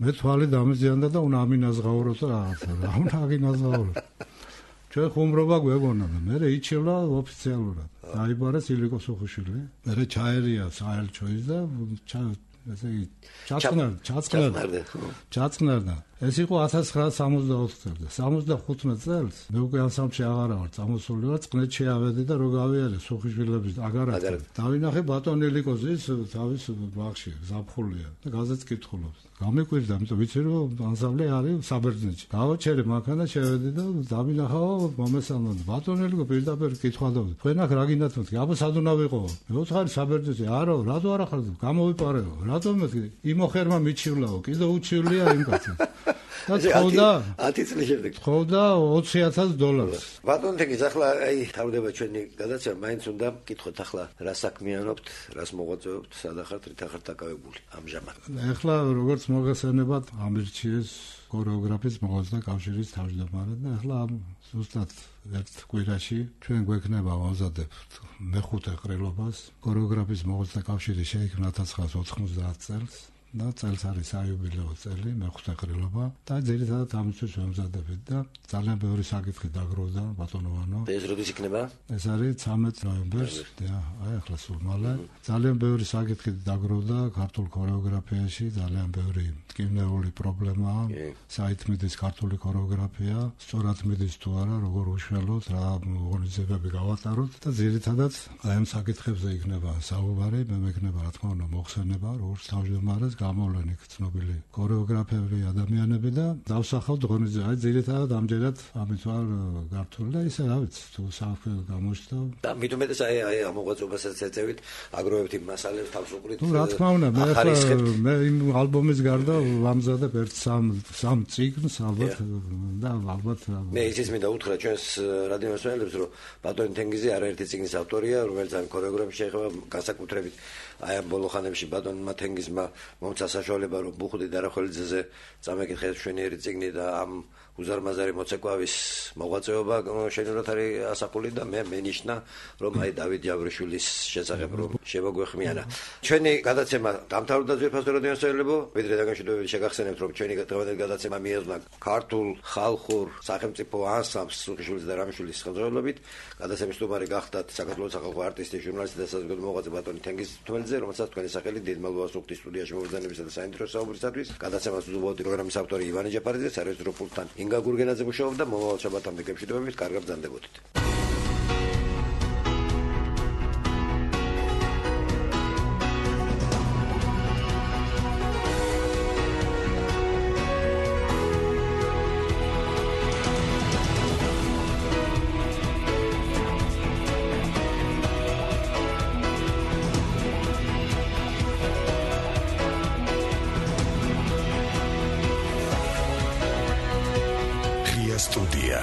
მე თვალი დამიზიანდა და უნდა ამინაზღაურო და რაღაცა რა უნდა აგინაზღაურო ჩვენ ხუმრობა გვეგონა და მე იჩევლა ოფიციალურად დაიბარეს ილიკოს უხუშვილი მე ჩაერია საელჩო ის და ესე იგი ჩაწყნარდა ჩაწყნარდა ჩაწყნარდა ეს იყო ათას ცხრაას სამოცდაოთხ წელს სამოცდახუთმეტ წელს მე უკვე ანსამბლში აღარა ვარ წამოსული ვარ წყნეთში ავედი და რო გავიარე სუხიშვილების აგარაკი დავინახე ბატონი ილიკოზის თავის ბაღში ზაფხულია და გაზეთს კითხულობს გამიკვირდა იმიტომ ვიცი რომ ანსამბლი არის საბერძნეთში გავაჩერე მანქანა შევედი და დავინახა მომესალმა ბატონი ილიკო პირდაპირ კითხავდა თქვენ აქ რა გინდათ მეთქი აბა სად უნდა ვიყო მე ვთხარი საბერძნეთში არა რატო არ ახარ გამოვიპარეო რატომ მეთქი იმოხერმა მიჩივლაო კიდე უჩივლია იმ კაცს და ხოდა ათი წლის შემდეგ ხოდა ოცი ათას დოლარს ბატონო თქის ახლა აი თავდება ჩვენი გადაცემა მაინც უნდა გითხოთ ახლა რა საქმიანობთ რას მოღვაწეობთ სად ახართ რით ახართ დაკავებული ამჟამად ახლა როგორც მოგესალმებათ ამირჩიეს ქორეოგრაფიის მოღვაწეთა კავშირის თავმჯდომარე და ახლა ზუსტად ერთ კვირაში ჩვენ გვექნება ვაზადებთ მეხუთე ყრილობას ქორეოგრაფიის მოღვაწეთა კავშირი შეიქმნა ათას ცხრაას ოთხმოცდაათ წელს და წელს არის საიუბილეო წელი, მეხუთე ყრილობა და ძირითადად ამისთვის ვემზადებით და ძალიან ბევრი საკითხი დაგროვდა ბატონოვანო. ეს როდის იქნება? ეს არის ცამეტ ნოემბერს, და აი ახლა სულ მალე. ძალიან ბევრი საკითხი დაგროვდა ქართულ ქორეოგრაფიაში, ძალიან ბევრი ტკივნეული პრობლემაა. საითმიდის ქართული ქორეოგრაფია, სწორად მიდის თუ არა, როგორ უშველოთ, რა ორგანიზებები გავატაროთ და ძირითადად აი ამ საკითხებზე იქნება საუბარი, მე მეკნება რა თქმა უნდა მოხსენება, როგორც თავმჯდომარეს გამოვლენ იქ ცნობილი ქორეოგრაფები, ადამიანები და დავსახავთ ღონისძიებას. აი ძირითადად ამჯერად ამით ვარ გართული და ისე რა ვიცი, თუ საქმე გამოჩნდა. და მით უმეტეს აი აი ამ მოღვაწეობასაც ეწევით, აგროვებთ იმ მასალებს თავსუყრით. ნუ რა თქმა უნდა, მე ახლა მე იმ ალბომის გარდა ვამზადებ ერთ სამ სამ წიგნს ალბათ და ალბათ მე ისიც მინდა უთხრა ჩვენს რადიო მსმენელებს, რომ ბატონი თენგიზი არაერთი წიგნის ავტორია, რომელიც ამ ქორეოგრაფიაში შეეხება განსაკუთრებით აი ამ ბოლო ხანებში ბატონმა თენგიზმა მომცა საშუალება, რომ ბუხუტი დარახველიძეზე წამეკითხეთ შვენიერი წიგნი და ამ უზარმაზარი მოცეკვავის მოღვაწეობა შენურად არის ასახული და მე მენიშნა, რომ აი დავით ჯავრიშვილის შესახებ რომ შემოგვეხმიანა. ჩვენი გადაცემა დამთავრდა ძვირფასო რადიო მსმენელებო, ვიდრე დაგაშვებებით შეგახსენებთ, რომ ჩვენი დღევანდელი გადაცემა მიეძღვნა ქართულ ხალხურ სახელმწიფო ანსამბლს სუხიშვილის და რამიშვილის ხელმძღვანელობით. გადაცემის სტუმარი გახდათ საქართველოს სახალხო არტისტი, ჟურნალისტი და საზოგადო მოღვაწე ბატონი თენგიზ თველიძე, რომელსაც თქვენი სახელი დიდ მადლობას ვუხდით სტუდიაში მობრძანებისა და საინტერესო საუბრისათვის. გადაცემას უზრუნველყოფდი პროგრამის ავტორი ივანე ჯაფარიძე, სარეჟისორო პულტთან ინგა გურგენაძე მუშაობდა. მომავალ შაბათამდე გებშვიდობებით, კარგად ბრძანდებოდით. Studia.